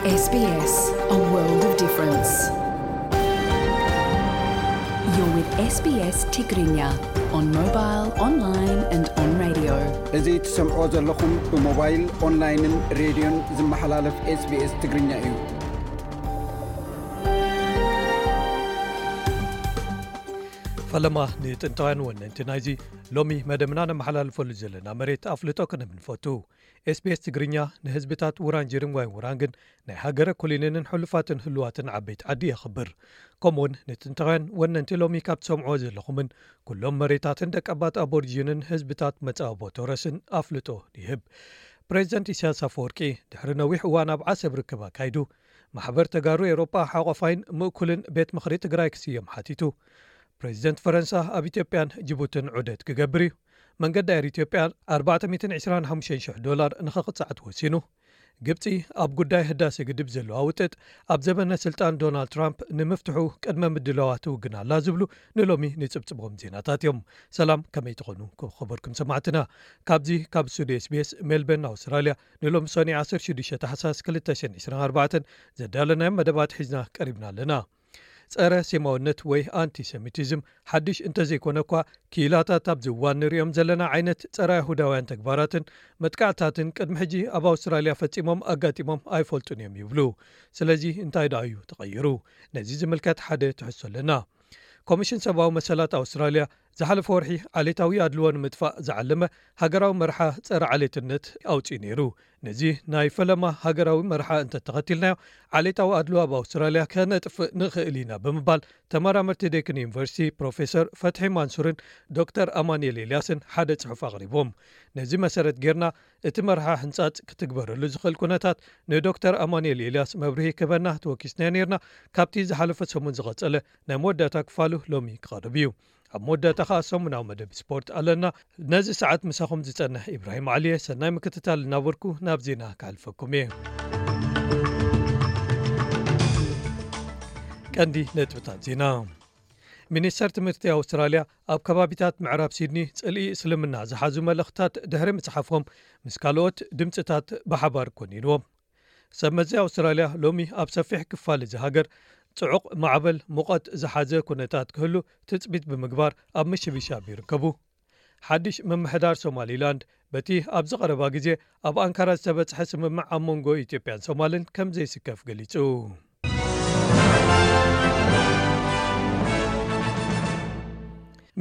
S B S, a world of difference. You're with S B S Tigrinya on mobile, online and on radio. እዚ ትሰምዖ ዘለኹም ብሞባይል፣ ኦንላይንን ሬድዮን ዝመሓላለፍ S B S ትግርኛ እዩ። ፈለማ ንጥንታውያን ወነንቲ ናይዚ ሎሚ መደብና ነመሓላልፈሉ ዘለና መሬት ኣፍልጦ ክንህብ ንፈቱ። S B S ትግርኛ ንህዝብታት ውራንጀርን ዋይ ውራንግን ናይ ሃገረ ኮሎኒያልን ሕሉፋትን ህሉዋትን ዓበይቲ ዓዲ የኽብር። ከምኡውን ንጥንታውያን ወነንቲ ሎሚ ካብ ትሰምዕዎ ዘለኹምን ኩሎም መሬታትን ደቀባት ኣቦሪጂንን ህዝብታት መጻብቦ ቶረስን ኣፍልጦ ይህብ። ፕሬዚደንት ኢሳያስ ኣፈወርቂ ድሕሪ ነዊሕ እዋን ኣብ ዓሰብ ርክብ ኣካይዱ፣ ማሕበር ተጋሩ ኤውሮጳ ሓቆፋይን ምእኩልን ቤት ምኽሪ ትግራይ ክስየም ሓቲቱ። ፕሬዚደንት ፈረንሳ ኣብ ኢትዮጵያን ጅቡትን ዑደት ክገብር እዩ። መንገዲ ኣየር ኢትዮጵያ ኣርባዕተ ሚእትን ዕስራን ሓሙሽተን ሽሕ ዶላር ንኸቕጻዕ ተወሲኑ። ግብጺ ኣብ ጉዳይ ህዳሴ ግድብ ዘለዋ ውጥጥ ኣብ ዘበነ ስልጣን ዶናልድ ትራምፕ ንምፍትሑ ቅድመ ምድላዋ ትውግን ኣላ ዝብሉ ንሎሚ ንጽብጽቦም ዜናታት እዮም። ሰላም፣ ከመይ ትኾኑ ክኸበርኩም ሰማዕትና? ካብዚ ካብ ስቱዲዮ S B S ሜልበርን ኣውስትራልያ ንሎሚ ሰኒ ዓሰርተ ሽዱሽተ ታሕሳስ ክልተ ሽሕን ዕስራን ኣርባዕተን ዘዳለናዮም መደባት ሒዝና ቀሪብና ኣለና። ጸረ ሴማውነት ወይ ኣንቲሰሚቲዝም ሓድሽ እንተዘይኮነ እኳ፣ ክኢላታት ኣብዚ እዋን ንሪኦም ዘለና ዓይነት ጸረ ኣይሁዳውያን ተግባራትን መጥቃዕታትን ቅድሚ ሕጂ ኣብ ኣውስትራልያ ፈጺሞም ኣጋጢሞም ኣይፈልጡን እዮም ይብሉ። ስለዚ እንታይ ደኣ እዩ ተቐይሩ? ነዚ ዝምልከት ሓደ ትሕዝቶ ኣለና። ኮሚሽን ሰብኣዊ መሰላት ኣውስትራልያ ዝሓለፈ ወርሒ ዓሌታዊ ኣድልዎ ንምጥፋእ ዝዓለመ ሃገራዊ መርሓ ጸረ ዓሌትነት ኣውጺኡ ነይሩ። ነዚ ናይ ፈለማ ሃገራዊ መርሓ እንተተኸቲልናዮ፣ ዓሌታዊ ኣድልዎ ኣብ ኣውስትራልያ ከነጥፍእ ንኽእል ኢና ብምባል ተመራመርቲ ዴክን ዩኒቨርሲቲ ፕሮፌሰር ፈትሒ ማንሱርን ዶክተር ኣማኑኤል ኤልያስን ሓደ ጽሑፍ ኣቕሪቦም። ነዚ መሰረት ጌርና እቲ መርሓ ሕንጻጽ ክትግበረሉ ዝኽእል ኩነታት ንዶክተር ኣማኑኤል ኤልያስ መብርሂ ክህበና ተወኪስናዮ ኔርና። ካብቲ ዝሓለፈ ሰሙን ዝቐጸለ ናይ መወዳእታ ክፋሉ ሎሚ ክቐርብ እዩ። ኣብ መወዳእታ ኸኣ ሰሙናዊ መደብ ስፖርት ኣለና። ነዚ ሰዓት ምሳኹም ዝጸንሕ ኢብራሂም ዓሊየ። ሰናይ ምክትታል እናበልኩ ናብ ዜና ክሓልፈኩም እየ። ቀንዲ ነጥብታት ዜና። ሚኒስተር ትምህርቲ ኣውስትራልያ ኣብ ከባቢታት ምዕራብ ሲድኒ ጽልኢ እስልምና ዝሓዙ መልእኽትታት ድሕሪ ምጽሓፎም፣ ምስ ካልኦት ድምጽታት ብሓባር ኮኒንዎም። ሰብ መዚ ኣውስትራልያ ሎሚ ኣብ ሰፊሕ ክፋል እዚ ሃገር ጽዑቕ ማዕበል ሙቐት ዝሓዘ ኩነታት ክህሉ ትጽቢት ብምግባር ኣብ ምሽብሻብ ይርከቡ። ሓድሽ ምምሕዳር ሶማሊላንድ በቲ ኣብዚ ቀረባ ግዜ ኣብ ኣንካራ ዝተበጽሐ ስምምዕ ኣብ መንጎ ኢትዮጵያን ሶማልን ከም ዘይስከፍ ገሊጹ።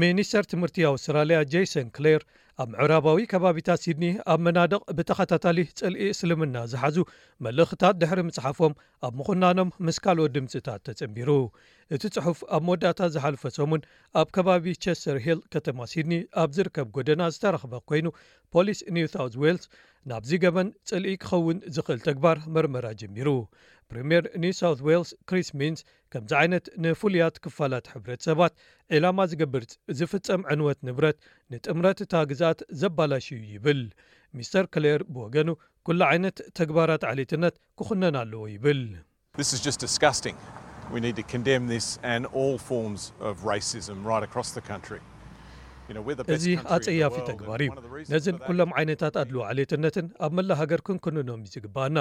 ሚኒስተር ትምህርቲ ኣውስትራልያ ጄሰን ክሌር ኣብ ምዕራባዊ ከባቢታት ሲድኒ ኣብ መናድቕ ብተኸታታሊ ጽልኢ እስልምና ዝሓዙ መልእኽታት ድሕሪ ምጽሓፎም ኣብ ምኹናኖም ምስ ካልኦት ድምጽታት ተጸንቢሩ። እቲ ጽሑፍ ኣብ መወዳእታ ዝሓለፈ ሰሙን ኣብ ከባቢ ቸስተር ሂል ከተማ ሲድኒ ኣብ ዝርከብ ጎደና ዝተረኽበ ኮይኑ፣ ፖሊስ ኒው ሳውዝ ዌልስ ናብዚ ገበን ጽልኢ ክኸውን ዝኽእል ተግባር መርመራ ጀሚሩ። ፕሪምየር ኒው ሳውዝ ዌልስ ክሪስ ሚንስ ከምዚ ዓይነት ንፍሉያት ክፋላት ሕብረተሰባት ዒላማ ዝገብር ዝፍጸም ዕንወት ንብረት ንጥምረት እታ ግዝኣት ዘባላሽ እዩ ይብል። ሚስተር ክሌር ብወገኑ፣ ኩሉ ዓይነት ተግባራት ዓሌትነት ክኹነን ኣለዎ ይብል። This is just disgusting. We need to condemn this and all forms of racism right across the country. You know, we're the best እዚ country in the ኣጸያፊ world, ተግባር እዩ። And one of the reasons ነዝን for that ኩሎም ዓይነታት ኣድልዎ ዓሌትነትን ኣብ መላእ ሃገር ክንኩንኖም እዩ ዝግባኣና።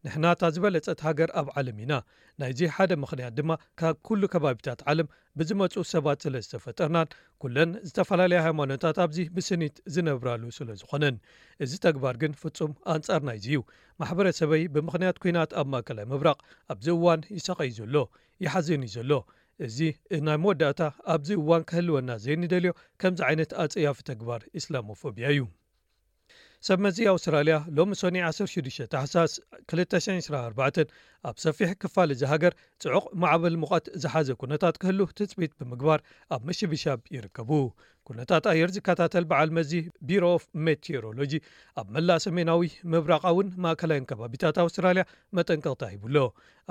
ንሕና እታ ዝበለጸት ሃገር ኣብ ዓለም ኢና። ናይዚ ሓደ ምኽንያት ድማ ካብ ኩሉ ከባቢታት ዓለም ብዝመጹ ሰባት ስለ ዝተፈጠርናን ኩለን ዝተፈላለያ ሃይማኖታት ኣብዚ ብስኒት ዝነብራሉ ስለ ዝኾነን። እዚ ተግባር ግን ፍጹም ኣንጻር ናይዚ እዩ። ማሕበረሰበይ ብምኽንያት ኲናት ኣብ ማእከላይ ምብራቕ ኣብዚ እዋን ይሳቐይ ዘሎ፣ ይሓዝን እዩ ዘሎ። እዚ ናይ መወዳእታ ኣብዚ እዋን ክህልወና ዘይንደልዮ ከምዚ ዓይነት ኣጸያፊ ተግባር ኢስላሞፎብያ እዩ። ሰብ መዚ ኣውስትራልያ ሎሚ ሰኒ ዓሰርተ ሽዱሽተ ታሕሳስ ክልተ ሽሕን ዕስራን ኣርባዕተን ኣብ ሰፊሕ ክፋል እዚ ሃገር ጽዑቕ ማዕበል ሙቐት ዝሓዘ ኩነታት ክህሉ ትጽቢት ብምግባር ኣብ ምሽብሻብ ይርከቡ። ኩነታት ኣየር ዝከታተል በዓል መዚ ቢሮ ኦፍ ሜቴሮሎጂ ኣብ መላእ ሰሜናዊ ምብራቓውን ማእከላይን ከባቢታት ኣውስትራልያ መጠንቀቕታ ሂቡሎ።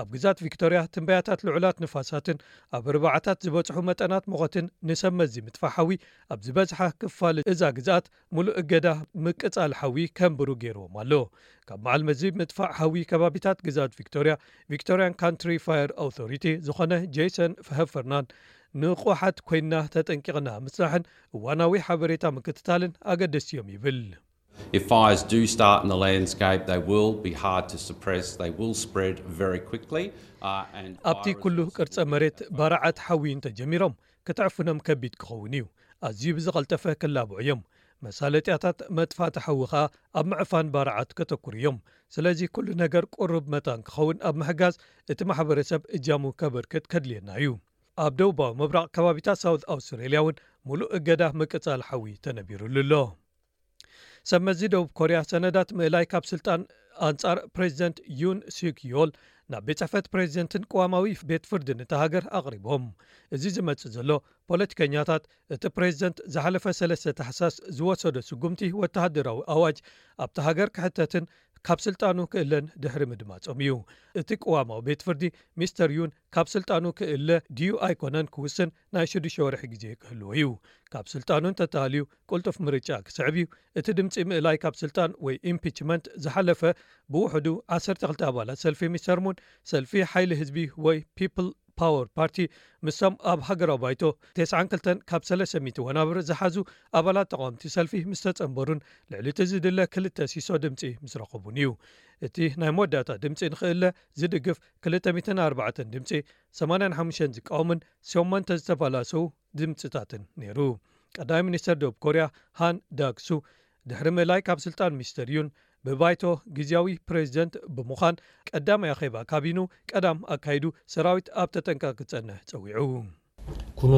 ኣብ ግዛት ቪክቶርያ ትንበያታት ልዑላት ንፋሳትን ኣብ ርባዓታት ዝበጽሑ መጠናት ሙቐትን ንሰብ መዚ ምጥፋእ ሓዊ ኣብ ዝበዝሓ ክፋል እዛ ግዝኣት ምሉእ እገዳ ምቅጻል ሓዊ ከንብሩ ገይርዎም ኣሎ። ካብ በዓል መዚ ምጥፋእ ሓዊ ከባቢታት ግዛት ቪክቶርያ፣ ቪክቶርያን ካንትሪ ፋየር ኣውቶሪቲ ዝኾነ ጄሰን ሀፈርናን፣ ንቑሓት ኮይንና ተጠንቂቕና ምጽናሕን እዋናዊ ሓበሬታ ምክትታልን ኣገደስቲ እዮም ይብል። If fires do start in the landscape, they will be hard to suppress. They will spread very quickly. Uh, and ኣብቲ ኩሉ ቅርጸ መሬት ባርዓት ሓዊ እንተጀሚሮም ክትዕፍኖም ከቢድ ክኸውን እዩ። ኣዝዩ ብዝቐልጠፈ ክላብዑ እዮም። መሳለጥያታት መጥፋእቲ ሓዊ ኸኣ ኣብ ምዕፋን ባርዓት ከተኩሩ እዮም። ስለዚ ኩሉ ነገር ቁሩብ መታን ክኸውን ኣብ ምሕጋዝ እቲ ማሕበረሰብ እጃሙ ከበርክት ከድልየና እዩ። ኣብ ደቡባዊ ምብራቕ ከባቢታት ሳውት ኣውስትሬልያ እውን ሙሉእ እገዳ ምቅጻል ሓዊ ተነቢሩሉ ኣሎ። ሰብ መዚ ደቡብ ኮርያ ሰነዳት ምእላይ ካብ ስልጣን ኣንጻር ፕሬዚደንት ዩን ሱክ ዮል ናብ ቤት ጽሕፈት ፕሬዚደንትን ቅዋማዊ ቤት ፍርድን እታ ሃገር ኣቕሪቦም። እዚ ዝመጽእ ዘሎ ፖለቲከኛታት እቲ ፕሬዚደንት ዝሓለፈ ሰለስተ ታሕሳስ ዝወሰዶ ስጉምቲ ወተሃደራዊ ኣዋጅ ኣብቲ ሃገር ክሕተትን ካብ ስልጣኑ ክእለን ድሕሪ ምድማጾም እዩ። እቲ ቅዋማዊ ቤት ፍርዲ ሚስተር ዩን ካብ ስልጣኑ ክእለ ድዩ ኣይኮነን ክውስን ናይ ሽዱሽተ ወርሒ ግዜ ክህልዎ እዩ። ካብ ስልጣኑ እንተተሃልዩ ቅልጡፍ ምርጫ ክስዕብ እዩ። እቲ ድምፂ ምእላይ ካብ ስልጣን ወይ ኢምፒችመንት ዝሓለፈ ብውሕዱ ዓሰርተ ክልተ ኣባላት ሰልፊ ሚስተር ሙን ሰልፊ ሓይሊ ህዝቢ ወይ ፒፕል ፓወር ፓርቲ ምስቶም ኣብ ሃገራዊ ባይቶ ተስዓን ክልተን ካብ ሰለስተ ሚእቲ ወናብር ዝሓዙ ኣባላት ተቓወምቲ ሰልፊ ምስ ተጸንበሩን ልዕሊ እቲ ዝድለ ክልተ ሲሶ ድምጺ ምስ ረኸቡን እዩ። እቲ ናይ መወዳእታ ድምጺ ንኽእለ ዝድግፍ ክልተ ሚእትን ኣርባዕተን ድምጺ፣ ሰማንያን ሓሙሽተን ዝቃወምን ሸሞንተ ዝተባላሰው ድምጽታትን ነይሩ። ቀዳማይ ሚኒስተር ደቡብ ኮርያ ሃን ዳክሱ ድሕሪ ምእላይ ካብ ስልጣን ሚስተር ዩን ብባይቶ ግዝያዊ ፕሬዚደንት ብምዃን ቀዳማይ ኣኼባ ካቢኑ ቀዳም ኣካይዱ ሰራዊት ኣብ ተጠንቀቕ ክጸንሕ ጸዊዑ። 군은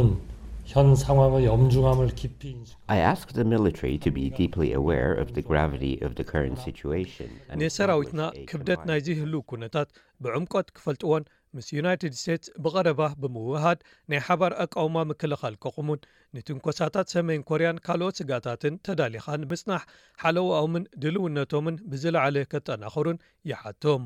현 상황의 엄중함을 깊이 인식. I ask the military to be deeply aware of the gravity of the current situation. And ንሰራዊትና establish a ክብደት combined ናይዚ ህልው ኩነታት ብዕምቆት ክፈልጥዎን ምስ ዩናይትድ ስቴትስ ብቐረባ ብምውህሃድ ናይ ሓባር ኣቃውማ ምክልኻል ከቑሙን ንትንኮሳታት ሰሜን ኮርያን ካልኦት ስጋታትን ተዳሊኻ ንምጽናሕ ሓለዋኦምን ድልውነቶምን ብዝለዓለ ከጠናኸሩን ይሓቶም።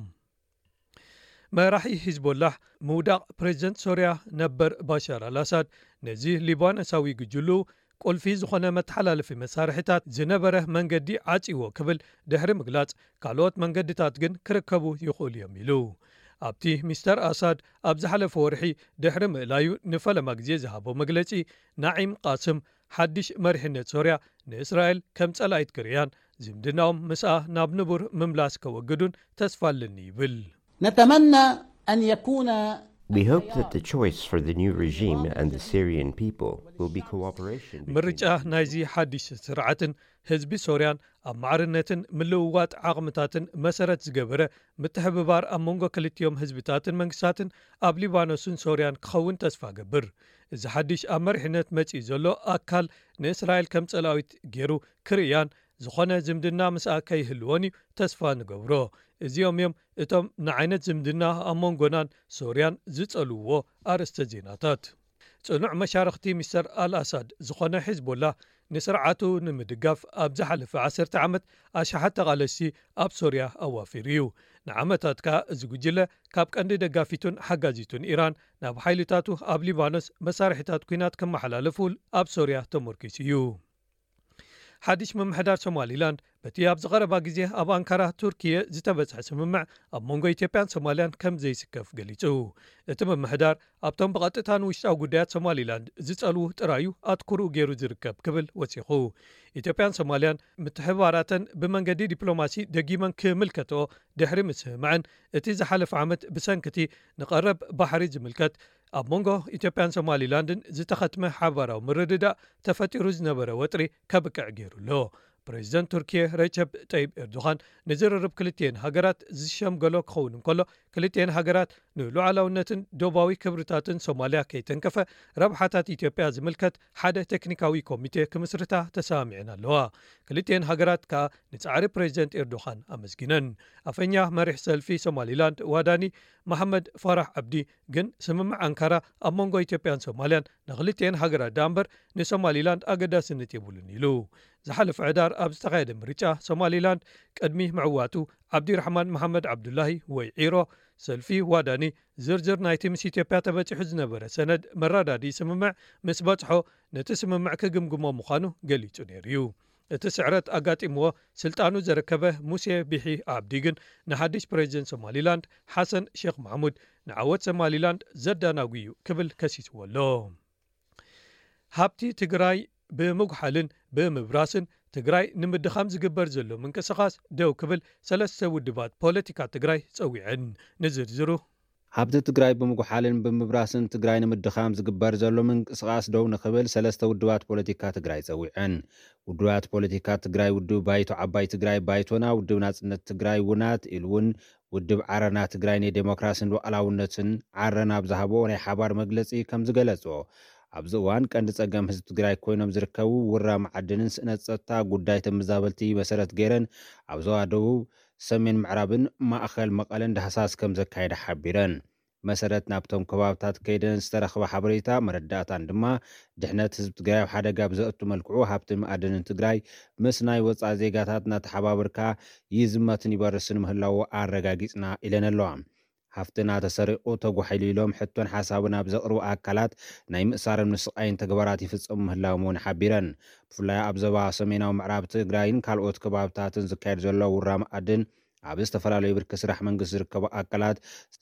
መራሒ ሂዝቦላህ ምውዳቕ ፕሬዚደንት ሶርያ ነበር ባሻር ኣልኣሳድ ነዚ ሊባኖሳዊ ግጅሉ ቁልፊ ዝኾነ መተሓላለፊ መሳርሒታት ዝነበረ መንገዲ ዓጺዎ ክብል ድሕሪ ምግላጽ ካልኦት መንገድታት ግን ክርከቡ ይኽእሉ እዮም ኢሉ። ኣብቲ ሚስተር ኣሳድ ኣብ ዝሓለፈ ወርሒ ድሕሪ ምእላዩ ንፈለማ ግዜ ዝሃቦ መግለጺ ናዒም ቃስም ሓድሽ መሪሕነት ሶርያ ንእስራኤል ከም ጸላኢት ክርእያን ዝምድናኦም ምስኣ ናብ ንቡር ምምላስ ከወግዱን ተስፋ ኣለኒ ይብል። نتمنى أن يكون We hope that the choice for the new regime and the Syrian people will be cooperation between ምርጫ ናይዚ ሓድሽ ስርዓትን ህዝቢ ሶርያን ኣብ ማዕርነትን ምልውዋጥ ዓቕምታትን መሰረት ዝገበረ ምትሕብባር ኣብ መንጎ ክልቲኦም ህዝብታትን መንግስታትን ኣብ ሊባኖስን ሶርያን ክኸውን ተስፋ ገብር። እዚ ሓድሽ ኣብ መሪሕነት መጺኡ ዘሎ ኣካል ንእስራኤል ከም ጸላዊት ገይሩ ክርእያን ዝኾነ ዝምድና ምስኣ ከይህልዎን እዩ ተስፋ ንገብሮ። እዚኦም እዮም እቶም ንዓይነት ዝምድና ኣብ መንጎናን ሶርያን ዝጸልውዎ ኣርእስተ ዜናታት። ጽኑዕ መሻርኽቲ ሚስተር ኣልኣሳድ ዝኾነ ሒዝቦላ ንስርዓቱ ንምድጋፍ ኣብ ዝሓለፈ ዓሰርተ ዓመት ኣሽሓት ተቓለስቲ ኣብ ሶርያ ኣዋፊሩ እዩ። ንዓመታት ከኣ እዚ ጉጅለ ካብ ቀንዲ ደጋፊቱን ሓጋዚቱን ኢራን ናብ ሓይልታቱ ኣብ ሊባኖስ መሳርሒታት ኲናት ከመሓላለፉ ኣብ ሶርያ ተመርኪሱ እዩ። ሓድሽ ምምሕዳር ሶማሊላንድ በቲ ኣብ ዝቐረባ ግዜ ኣብ ኣንካራ ቱርኪየ ዝተበጽሐ ስምምዕ ኣብ መንጎ ኢትዮጵያን ሶማልያን ከም ዘይስከፍ ገሊጹ። እቲ ምምሕዳር ኣብቶም ብቐጥታ ንውሽጣዊ ጉዳያት ሶማሊላንድ ዝጸልዉ ጥራዩ ኣትኩርኡ ገይሩ ዝርከብ ክብል ወሲኹ። ኢትዮጵያን ሶማልያን ምትሕብባራተን ብመንገዲ ዲፕሎማሲ ደጊመን ክምልከትኦ ድሕሪ ምስምዕን እቲ ዝሓለፈ ዓመት ብሰንክቲ ንቐረብ ባሕሪ ዝምልከት ኣብ መንጎ ኢትዮጵያን ሶማሊላንድን ዝተኸትመ ሓባራዊ ምርድዳእ ተፈጢሩ ዝነበረ ወጥሪ ከብቅዕ ገይሩ ኣሎ። ፕሬዚደንት ቱርኪየ ረጀብ ጠይብ ኤርዶኻን ንዝርርብ ክልቲኤን ሃገራት ዝሸምገሎ ክኸውን እንከሎ ክልቲኤን ሃገራት ንሉዓላውነትን ዶባዊ ክብርታትን ሶማልያ ከይተንከፈ ረብሓታት ኢትዮጵያ ዝምልከት ሓደ ቴክኒካዊ ኮሚቴ ክምስርታ ተሰማሚዐን ኣለዋ። ክልቲኤን ሃገራት ከኣ ንጻዕሪ ፕሬዚደንት ኤርዶኻን ኣመስጊነን። ኣፈኛ መሪሕ ሰልፊ ሶማሊላንድ ዋዳኒ መሓመድ ፋራሕ ዓብዲ ግን ስምምዕ ኣንካራ ኣብ መንጎ ኢትዮጵያን ሶማልያን ንክልቲኤን ሃገራት ደኣ እምበር ንሶማሊላንድ ኣገዳስነት የብሉን ኢሉ። ዝሓለፈ ሕዳር ኣብ ዝተኻየደ ምርጫ ሶማሊላንድ ቅድሚ ምዕዋቱ ዓብዲራሕማን መሓመድ ዓብዱላሂ ወይ ዒሮ ሰልፊ ዋዳኒ ዝርዝር ናይቲ ምስ ኢትዮጵያ ተበጺሑ ዝነበረ ሰነድ መረዳዲ ስምምዕ ምስ በጽሖ ነቲ ስምምዕ ክግምግሞ ምዃኑ ገሊጹ ነይሩ እዩ። እቲ ስዕረት ኣጋጢምዎ ስልጣኑ ዘረከበ ሙሴ ቢሒ ዓብዲ ግን ንሓድሽ ፕሬዚደንት ሶማሊላንድ ሓሰን ሼክ ማሕሙድ ንዓወት ሶማሊላንድ ዘዳናጉ እዩ ክብል ከሲስዎ ኣሎ። ሃብቲ ትግራይ ብምጉሓልን ብምብራስን ትግራይ ንምድኻም ዝግበር ዘሎ ምንቅስቓስ ደው ክብል ሰለስተ ውድባት ፖለቲካ ትግራይ ጸዊዐን። ንዝርዝሩ። ሃብቲ ትግራይ ብምጉሓልን ብምብራስን ትግራይ ንምድኻም ዝግበር ዘሎ ምንቅስቓስ ደው ንኽብል ሰለስተ ውድባት ፖለቲካ ትግራይ ጸዊዐን። ውድባት ፖለቲካ ትግራይ ውድብ ባይቶ ዓባይ ትግራይ ባይቶና፣ ውድብ ናጽነት ትግራይ ውናት፣ ኢሉ እውን ውድብ ዓረና ትግራይ ንዴሞክራስን ሉዓላውነትን ዓረና ኣብ ዝሃቦ ናይ ሓባር መግለጺ ከም ዝገለጾ፣ ኣብዚ እዋን ቀንዲ ጸገም ህዝቢ ትግራይ ኮይኖም ዝርከቡ ውራ መዓድንን ስእነት ጸጥታ ጉዳይ ተመዛበልቲ መሰረት ገይረን ኣብ ዞባ ደቡብ፣ ሰሜን ምዕራብን ማእኸል መቐለን ዳህሳስ ከም ዘካየደ ሓቢረን። መሰረት ናብቶም ከባብታት ከይደን ዝተረኽበ ሓበሬታ መረዳእታን ድማ ድሕነት ህዝቢ ትግራይ ኣብ ሓደጋ ብዘእቱ መልክዑ ሃብትን መኣድንን ትግራይ ምስ ናይ ወፃኢ ዜጋታት እናተሓባበርካ ይዝመትን ይበርስን ምህላዉ ኣረጋጊፅና ኢለን ኣለዋ። ሃፍትና ተሰሪቑ ተጓሒሉ ኢሎም ሕቶን ሓሳብን ኣብ ዘቕርቡ ኣካላት ናይ ምእሳርን ምስቓይን ተግባራት ይፍፀሙ ምህላዎም እውን ሓቢረን። ብፍላይ ኣብ ዞባ ሰሜናዊ ምዕራብ ትግራይን ካልኦት ከባብታትን ዝካየድ ዘሎ ውራ መኣድን ኣብ ዝተፈላለዩ ብርኪ ስራሕ መንግስቲ ዝርከቡ ኣካላት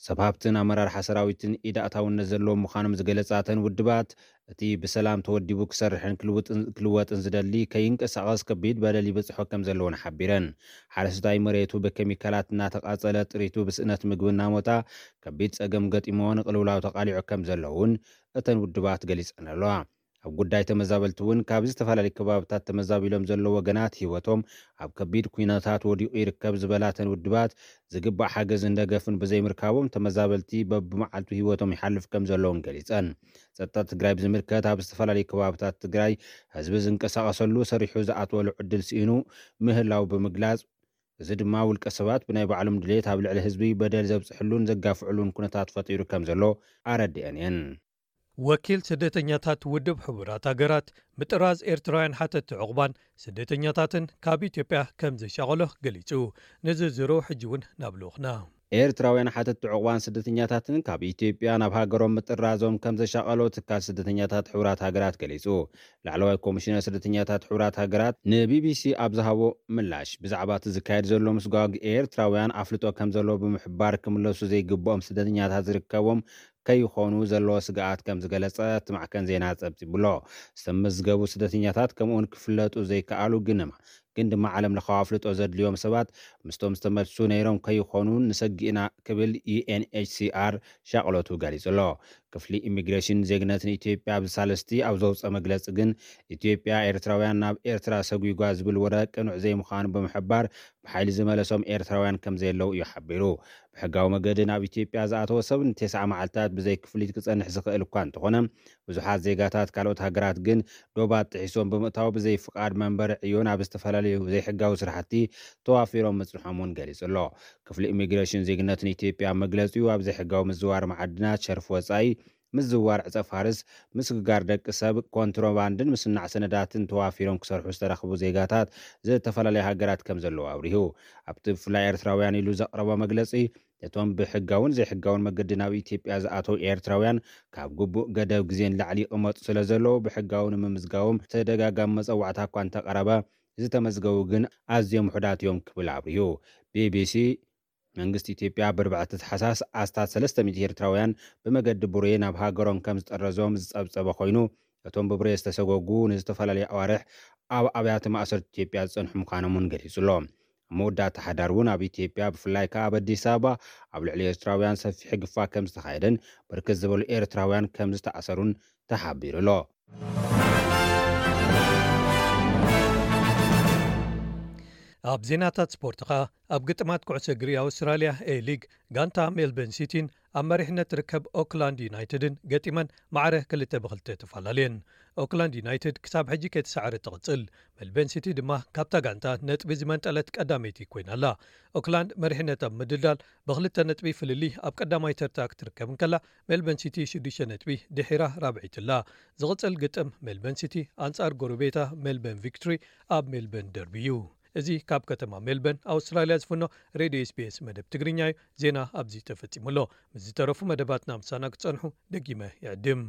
ሰብ ሃብትን ኣመራርሓ ሰራዊትን ኢድ ኣእታውነት ዘለዎም ምዃኖም ዝገለፃተን ውድባት፣ እቲ ብሰላም ተወዲቡ ክሰርሕን ክልውጥን- ክልወጥን ዝደሊ ከይንቀሳቐስ ከቢድ በደል ይበፅሖ ከም ዘለውን ሓቢረን። ሓረስታይ መሬቱ ብኬሚካላት እናተቃፀለ ጥሪቱ ብስእነት ምግቢ እናሞታ ከቢድ ፀገም ገጢሞ ንቅልውላው ተቃሊዑ ከም ዘሎ እውን እተን ውድባት ገሊፀን ኣለዋ። ኣብ ጉዳይ ተመዛበልቲ እውን ካብ ዝተፈላለዩ ከባብታት ተመዛቢሎም ዘለዉ ወገናት ህይወቶም ኣብ ከቢድ ኩነታት ወዲቑ ይርከብ ዝበላተን ውድባት፣ ዝግባእ ሓገዝን ደገፍን ብዘይምርካቦም ተመዛበልቲ በብመዓልቱ ህይወቶም ይሓልፍ ከም ዘለውን ገሊፀን። ጸጥታ ትግራይ ብዝምልከት ኣብ ዝተፈላለዩ ከባብታት ትግራይ ህዝቢ ዝንቀሳቐሰሉ ሰሪሑ ዝኣትወሉ ዕድል ስኢኑ ምህላው ብምግላጽ፣ እዚ ድማ ውልቀ ሰባት ብናይ ባዕሎም ድሌት ኣብ ልዕሊ ህዝቢ በደል ዘብፅሕሉን ዘጋፍዕሉን ኩነታት ፈጢሩ ከም ዘሎ ኣረዲአን እየን። ወኪል ስደተኛታት ውድብ ሕቡራት ሃገራት ምጥራዝ ኤርትራውያን ሓተቲ ዕቑባን ስደተኛታትን ካብ ኢትዮጵያ ከም ዘሻቐሎ ገሊጹ። ንዝርዝሩ ሕጂ እውን ናብ ልኡኽና። ኤርትራውያን ሓተቲ ዕቑባን ስደተኛታትን ካብ ኢትዮጵያ ናብ ሃገሮም ምጥራዞም ከም ዘሻቐሎ ትካል ስደተኛታት ሕቡራት ሃገራት ገሊጹ። ላዕለዋይ ኮሚሽነር ስደተኛታት ሕቡራት ሃገራት ንቢቢሲ ኣብ ዝሃቦ ምላሽ፣ ብዛዕባ እቲ ዝካየድ ዘሎ ምስጓግ ኤርትራውያን ኣፍልጦ ከም ዘለዎ ብምሕባር፣ ክምለሱ ዘይግብኦም ስደተኛታት ዝርከቦም ከይኾኑ ዘለዎ ስግኣት ከም ዝገለጸ እቲ ማዕከን ዜና ጸብጺቡሎ። ዝተመዝገቡ ስደተኛታት ከምኡውን ክፍለጡ ዘይከኣሉ ግን ድማ ግን ድማ ዓለም ለኻዊ ኣፍልጦ ዘድልዮም ሰባት ምስቶም ዝተመልሱ ነይሮም ከይኾኑ ንሰጊእና ክብል ዩ ኤን ኤች ሲ ኣር ሻቕሎቱ ገሊጹ ኣሎ። ክፍሊ ኢሚግሬሽን ዜግነትን ኢትዮጵያ ኣብዚ ሳልስቲ ኣብ ዘውፀ መግለፂ ግን ኢትዮጵያ ኤርትራውያን ናብ ኤርትራ ሰጒጓ ዝብል ወረ ቅኑዕ ዘይምዃኑ ብምሕባር ብሓይሊ ዝመለሶም ኤርትራውያን ከም ዘየለው እዩ ሓቢሩ። ብሕጋዊ መገዲ ናብ ኢትዮጵያ ዝኣተወ ሰብ ንተስዓ መዓልታት ብዘይ ክፍሊት ክጸንሕ ዝኽእል እኳ እንተኾነ ብዙሓት ዜጋታት ካልኦት ሃገራት ግን ዶባት ጥሒሶም ብምእታው ብዘይ ፍቓድ መንበሪ ዕዮ ናብ ዝተፈላለዩ ዘይሕጋዊ ስራሕቲ ተዋፊሮም ምጽንሖም እውን ገሊጹ ኣሎ። ክፍሊ ኢሚግሬሽን ዜግነትን ኢትዮጵያ ኣብ መግለጺኡ ኣብ ዘይሕጋዊ ምዝዋር መዓድናት፣ ሸርፊ ወጻኢ፣ ምዝዋር ዕጸ ፋርስ፣ ምስግጋር ደቂ ሰብ፣ ኮንትሮባንድን ምስናዕ ሰነዳትን ተዋፊሮም ክሰርሑ ዝተረኽቡ ዜጋታት ዝተፈላለዩ ሃገራት ከም ዘለዉ ኣብሪሁ። ኣብቲ ብፍላይ ኤርትራውያን ኢሉ ዘቕረቦ መግለጺ፣ ነቶም ብሕጋውን ዘይሕጋውን መገዲ ናብ ኢትዮጵያ ዝኣተው ኤርትራውያን ካብ ግቡእ ገደብ ግዜ ንላዕሊ ይቕመጡ ስለ ዘለዉ ብሕጋዊ ንምምዝጋቦም ተደጋጋሚ መጸዋዕታ እኳ እንተቐረበ ዝተመዝገቡ ግን ኣዝዮም ውሑዳት እዮም ክብል ኣብሪሁ። ቢቢሲ መንግስቲ ኢትዮጵያ ብርብዕቲ ታሕሳስ ኣስታት ሰለስተ ሚእቲ ኤርትራውያን ብመገዲ ቡሬ ናብ ሃገሮም ከም ዝጠረዞም ዝጸብጸበ ኮይኑ፣ እቶም ብቡሬ ዝተሰጎጉ ንዝተፈላለዩ ኣዋርሕ ኣብ ኣብያተ ማእሰርቲ ኢትዮጵያ ዝጸንሑ ምዃኖም እውን ገሊጹ ኣሎ። ኣብ መወዳእታ ሓዳር እውን ኣብ ኢትዮጵያ ብፍላይ ከኣ ኣብ ኣዲስ ኣበባ ኣብ ልዕሊ ኤርትራውያን ሰፊሕ ግፋ ከም ዝተኻየደን ብርክት ዝበሉ ኤርትራውያን ከም ዝተኣሰሩን ተሓቢሩ ኣሎ። ኣብ ዜናታት ስፖርት ኸኣ ኣብ ግጥማት ኩዕሶ እግሪ ኣውስትራልያ ኤ ሊግ ጋንታ ሜልበርን ሲቲን ኣብ መሪሕነት ትርከብ ኦክላንድ ዩናይትድን ገጢመን ማዕረ ክልተ ብክልተ ተፈላለየን። ኦክላንድ ዩናይትድ ክሳብ ሕጂ ከይተሳዕረ ትቕጽል፣ ሜልበርን ሲቲ ድማ ካብታ ጋንታ ነጥቢ ዝመንጠለት ቀዳመይቲ ኮይና ኣላ። ኦክላንድ መሪሕነት ኣብ ምድልዳል ብክልተ ነጥቢ ፍልልይ ኣብ ቀዳማይ ተርታ ክትርከብ እንከላ፣ ሜልበርን ሲቲ ሽዱሽተ ነጥቢ ድሒራ ራብዐይቲ ኣላ። ዝቕጽል ግጥም ሜልበርን ሲቲ ኣንጻር ጎረቤታ ሜልበርን ቪክቶሪ ኣብ ሜልበርን ደርቢ እዩ። እዚ ካብ ከተማ ሜልበርን ኣውስትራልያ ዝፍኖ ሬድዮ ኤስ ቢ ኤስ መደብ ትግርኛ እዩ። ዜና ኣብዚ ተፈጺሙ ኣሎ። ምስ ዝተረፉ መደባትና ምሳና ክትጸንሑ ደጊመ ይዕድም።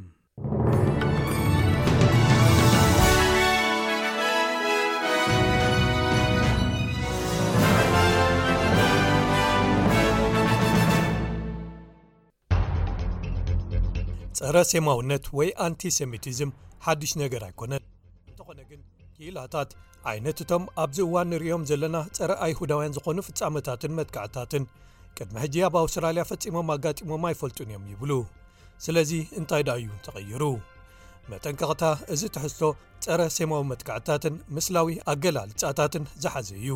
ጸረ ሴማውነት ወይ ኣንቲሴሚቲዝም ሓድሽ ነገር ኣይኮነን። እንተኾነ ግን ክኢላታት ዓይነት እቶም ኣብዚ እዋን ንርእዮም ዘለና ጸረ ኣይሁዳውያን ዝኾኑ ፍጻመታትን መጥቃዕታትን ቅድሚ ሕጂ ኣብ ኣውስትራልያ ፈጺሞም ኣጋጢሞም ኣይፈልጡን እዮም ይብሉ። ስለዚ እንታይ ደኣ እዩ ተቐይሩ? መጠንቀቕታ፣ እዚ ትሕዝቶ ጸረ ሴማዊ መጥቃዕታትን ምስላዊ ኣገላልጻታትን ዝሓዘ እዩ።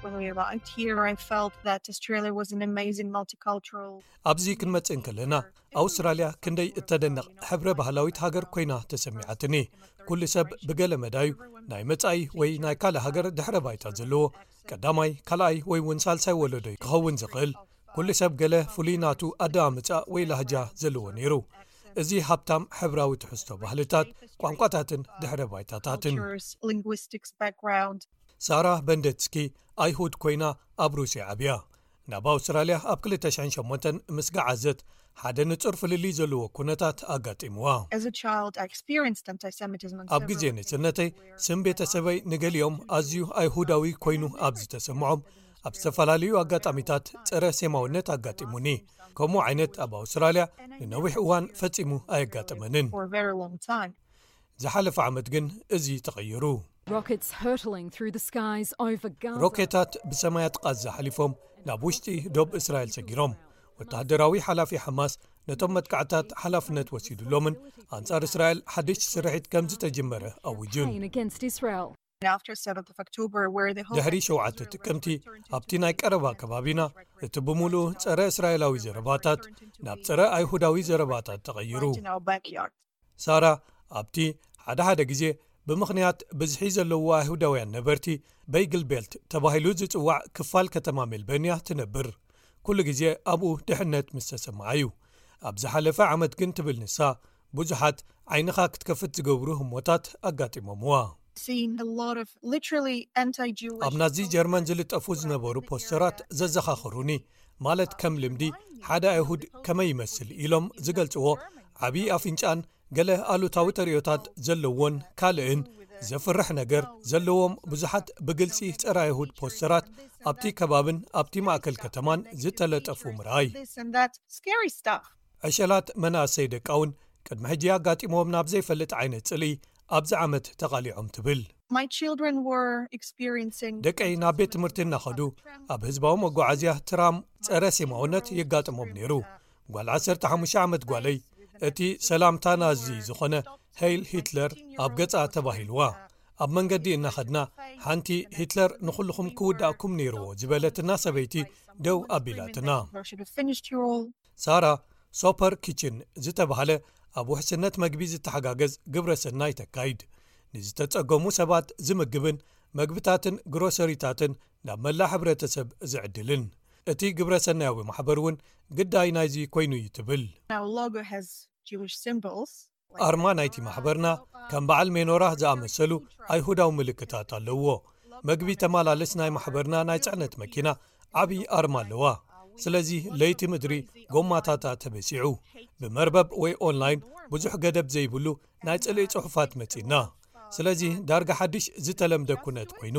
When we arrived here, I felt that Australia was an amazing multicultural. ኣብዚ ክንመጽእ እንከለና ኣውስትራልያ ክንደይ እተደነቕ ሕብረ ባህላዊት ሃገር ኮይና ተሰሚዓትኒ። ኩሉ ሰብ ብገለ መዳዩ ናይ መጻኢ ወይ ናይ ካልእ ሃገር ድሕረ ባይታ ዘለዎ ቀዳማይ፣ ካልኣይ ወይ እውን ሳልሳይ ወለዶ ክኸውን ዝኽእል፣ ኩሉ ሰብ ገለ ፍሉይ ናቱ ኣደማምጻ ወይ ላህጃ ዘለዎ ነይሩ። እዚ ሃብታም ሕብራዊ ትሕዝቶ ባህልታት፣ ቋንቋታትን ድሕረ ባይታታትን። Cultures, linguistics background. ሳራ በንደትስኪ ኣይሁድ ኮይና ኣብ ሩስያ ዓብያ። ናብ ኣውስትራልያ ኣብ ክልተ ሽሕን ሸሞንተን ምስ ገዓዘት ሓደ ንጹር ፍልልይ ዘለዎ ኩነታት ኣጋጢምዋ። As a child, I experienced anti-Semitism in ኣብ ግዜ ንእስነተይ ስም ቤተሰበይ ንገሊኦም ኣዝዩ ኣይሁዳዊ ኮይኑ ኣብ ዝተሰምዖም ኣብ ዝተፈላለዩ ኣጋጣሚታት ጸረ ሴማውነት ኣጋጢሙኒ። ከምኡ ዓይነት ኣብ ኣውስትራልያ ንነዊሕ እዋን ፈጺሙ ኣየጋጠመንን። For a very long time. ዝሓለፈ ዓመት ግን እዚ ተቐይሩ። Rockets hurtling through the skies over Gaza. ሮኬታት ብሰማያት ቃዛ ሓሊፎም ናብ ውሽጢ ዶብ እስራኤል ሰጊሮም። ወተሃደራዊ ሓላፊ ሓማስ ነቶም መጥቃዕታት ሓላፍነት ወሲዱሎምን ኣንጻር እስራኤል ሓድሽ ስርሒት ከም ዝተጀመረ ኣውጁን። Campaign against Israel. After seventh of October, where the whole ድሕሪ ሸውዓተ ጥቅምቲ ኣብቲ ናይ ቀረባ ከባቢና እቲ ብምሉኡ ጸረ እስራኤላዊ ዘረባታት ናብ ጸረ ኣይሁዳዊ ዘረባታት ተቐይሩ። Right in our backyard. ሳራ ኣብቲ ሓደ ሓደ ግዜ ብምኽንያት ብዝሒ ዘለዎ ኣይሁዳውያን ነበርቲ በይግል ቤልት ተባሂሉ ዝጽዋዕ ክፋል ከተማ ሜልበርንያ ትነብር። ኩሉ ግዜ ኣብኡ ድሕነት ምስ ተሰምዓ እዩ። ኣብ ዝሓለፈ ዓመት ግን ትብል ንሳ፣ ብዙሓት ዓይንኻ ክትከፍት ዝገብሩ ህሞታት ኣጋጢሞምዋ። Seeing a lot of literally anti-Jewish. ኣብ ናዚ ጀርመን ዝልጠፉ ዝነበሩ ፖስተራት ዘዘኻኽሩኒ፣ ማለት ከም ልምዲ ሓደ ኣይሁድ ከመይ ይመስል ኢሎም ዝገልጽዎ ዓብዪ ኣፍንጫን ገለ ኣሉታዊ ተርእዮታት ዘለዎን ካልእን ዘፍርሕ ነገር ዘለዎም ብዙሓት ብግልጺ ጸረ ኣይሁድ ፖስተራት ኣብቲ ከባብን ኣብቲ ማእከል ከተማን ዝተለጠፉ ምርኣይ። This and that scary stuff. ዕሸላት መናእሰይ ደቃውን ቅድሚ ሕጂ ኣጋጢሞም ናብ ዘይፈልጥ ዓይነት ጽልኢ ኣብዚ ዓመት ተቓሊዖም ትብል። My children were experiencing. ደቀይ ናብ ቤት ትምህርቲ እናኸዱ ኣብ ህዝባዊ መጓዓዝያ ትራም ጸረ ሴማውነት የጋጥሞም ነይሩ። ጓል ዓሰርተ ሓሙሽተ ዓመት ጓለይ እቲ ሰላምታ ናዚ ዝኾነ ሄይል ሂትለር ኣብ ገጻ ተባሂልዋ። ኣብ መንገዲ እናኸድና ሓንቲ ሂትለር ንኹልኹም ክውዳእኩም ነይርዎ ዝበለትና ሰበይቲ ደው ኣቢላትና። Or should have finished your all. ሳራ ሶፐር ኪችን ዝተባህለ ኣብ ውሕስነት መግቢ ዝተሓጋገዝ ግብረ ሰናይ ተካይድ። ንዝተጸገሙ ሰባት ዝምግብን መግብታትን ግሮሰሪታትን ናብ መላእ ሕብረተሰብ ዝዕድልን። እቲ ግብረ ሰናያዊ ማሕበር እውን ግዳይ ናይዚ ኮይኑ እዩ ትብል። Our logo has Jewish symbols. ኣርማ ናይቲ ማሕበርና ከም በዓል ሜኖራ ዝኣመሰሉ ኣይሁዳዊ ምልክታት ኣለዎ። መግቢ ተመላለስ ናይ ማሕበርና ናይ ጽዕነት መኪና ዓብዪ ኣርማ ኣለዋ። ስለዚ ለይቲ ምድሪ ጎማታታ ተበሲዑ። ብመርበብ ወይ ኦንላይን ብዙሕ ገደብ ዘይብሉ ናይ ጽልኢ ጽሑፋት መጺና። ስለዚ ዳርጋ ሓድሽ ዝተለምደ ኩነት ኮይኑ።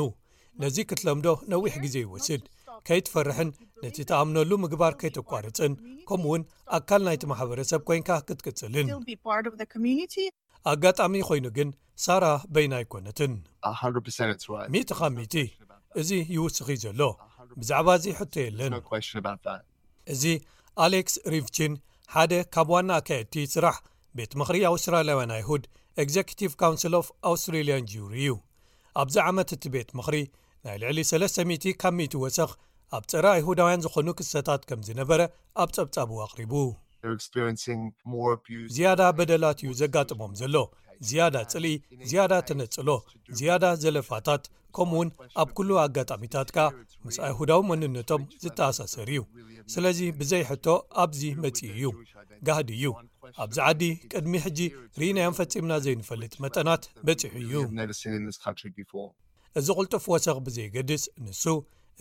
ነዚ ክትለምዶ ነዊሕ ግዜ ይወስድ። ከይትፈርሕን ነቲ ተኣምነሉ ምግባር ከይተቋርጽን፣ ከምኡውን ኣካል ናይቲ ማሕበረሰብ ኮይንካ ክትቅጽልን። Still be part of the community. ኣጋጣሚ ኮይኑ ግን ሳራ በይና ኣይኮነትን። A hundred percent, it's right. ሚእቲ ካብ ሚእቲ እዚ ይውስኺ ዘሎ። ብዛዕባ እዚ ሕቶ የለን። No question about that. እዚ ኣሌክስ ሪቭቺን ሓደ ካብ ዋና ኣካየድቲ ስራሕ ቤት ምኽሪ ኣውስትራልያውያን ኣይሁድ፣ ኤግዜኪቲቭ ካውንስል ኦፍ ኣውስትሬልያን ጁሪ እዩ። ኣብዚ ዓመት እቲ ቤት ምኽሪ ናይ ልዕሊ ሰለስተ ሚእቲ ካብ ሚእቲ ወሰኽ ኣብ ጸረ ኣይሁዳውያን ዝኾኑ ክስተታት ከም ዝነበረ ኣብ ጸብጻቡ ኣቕሪቡ። They're experiencing more abuse. ዝያዳ በደላት እዩ ዘጋጥሞም ዘሎ። ዝያዳ ጽልኢ፣ ዝያዳ ተነጽሎ፣ ዝያዳ ዘለፋታት፣ ከምኡውን ኣብ ኩሉ ኣጋጣሚታት ከኣ ምስ ኣይሁዳዊ መንነቶም ዝተኣሳሰር እዩ። ስለዚ ብዘይ ሕቶ ኣብዚ መጺኡ እዩ። ጋህዲ እዩ። ኣብዚ ዓዲ ቅድሚ ሕጂ ርኢናዮም ፈጺምና ዘይንፈልጥ መጠናት በጺሑ እዩ። We've never seen in this country before. እዚ ቅልጡፍ ወሰኽ ብዘይገድስ፣ ንሱ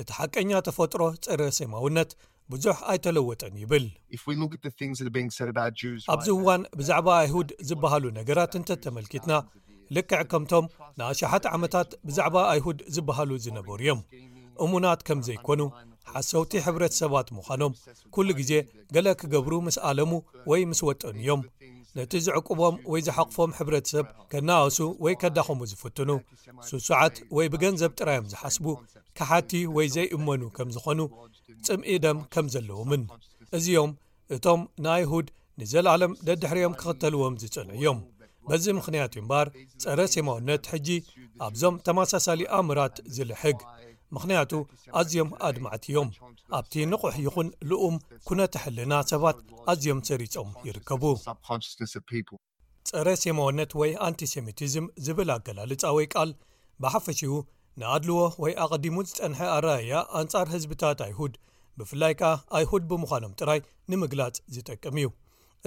እቲ ሓቀኛ ተፈጥሮ ጸረ ሴማውነት ብዙሕ ኣይተለወጠን ይብል። If we look at the things that are being said about Jews, ኣብዚ እዋን ብዛዕባ ኣይሁድ ዝበሃሉ ነገራት እንተተመልኪትና፣ ልክዕ ከምቶም ንኣሽሓት ዓመታት ብዛዕባ ኣይሁድ ዝበሃሉ ዝነበሩ እዮም። እሙናት ከም ዘይኮኑ፣ ሓሰውቲ ሕብረተሰባት ምዃኖም ኩሉ ግዜ ገለ ክገብሩ ምስ ኣለሙ ወይ ምስ ወጠኑ እዮም። ነቲ ዝዕቁቦም ወይ ዝሓቕፎም ሕብረተሰብ ከናኣሱ ወይ ከዳኸሙ ዝፍትኑ፣ ስሱዓት ወይ ብገንዘብ ጥራዮም ዝሓስቡ፣ ከሓቲ ወይ ዘይእመኑ ከም ዝኾኑ፣ ጽምኢ ደም ከም ዘለዎምን። እዚኦም እቶም ንኣይሁድ ንዘለኣለም ደድሕሪኦም ክኽተልዎም ዝጸንሑ እዮም። በዚ ምኽንያት እዩ እምበኣር ጸረ ሴማውነት ሕጂ ኣብዞም ተመሳሳሊ ኣምራት ዝልሕግ። ምኽንያቱ ኣዝዮም ኣድማዕቲ እዮም። ኣብቲ ንቑሕ ይኹን ልኡም ኩነተ ሕልና ሰባት ኣዝዮም ሰሪጾም ይርከቡ። ጸረ ሴማውነት ወይ ኣንቲሴሚቲዝም ዝብል ኣገላልጻ ወይ ቃል ብሓፈሽኡ ንኣድልዎ ወይ ኣቐዲሙ ዝጸንሐ ኣረኣእያ ኣንጻር ህዝብታት ኣይሁድ፣ ብፍላይ ከኣ ኣይሁድ ብምዃኖም ጥራይ ንምግላጽ ዝጠቅም እዩ።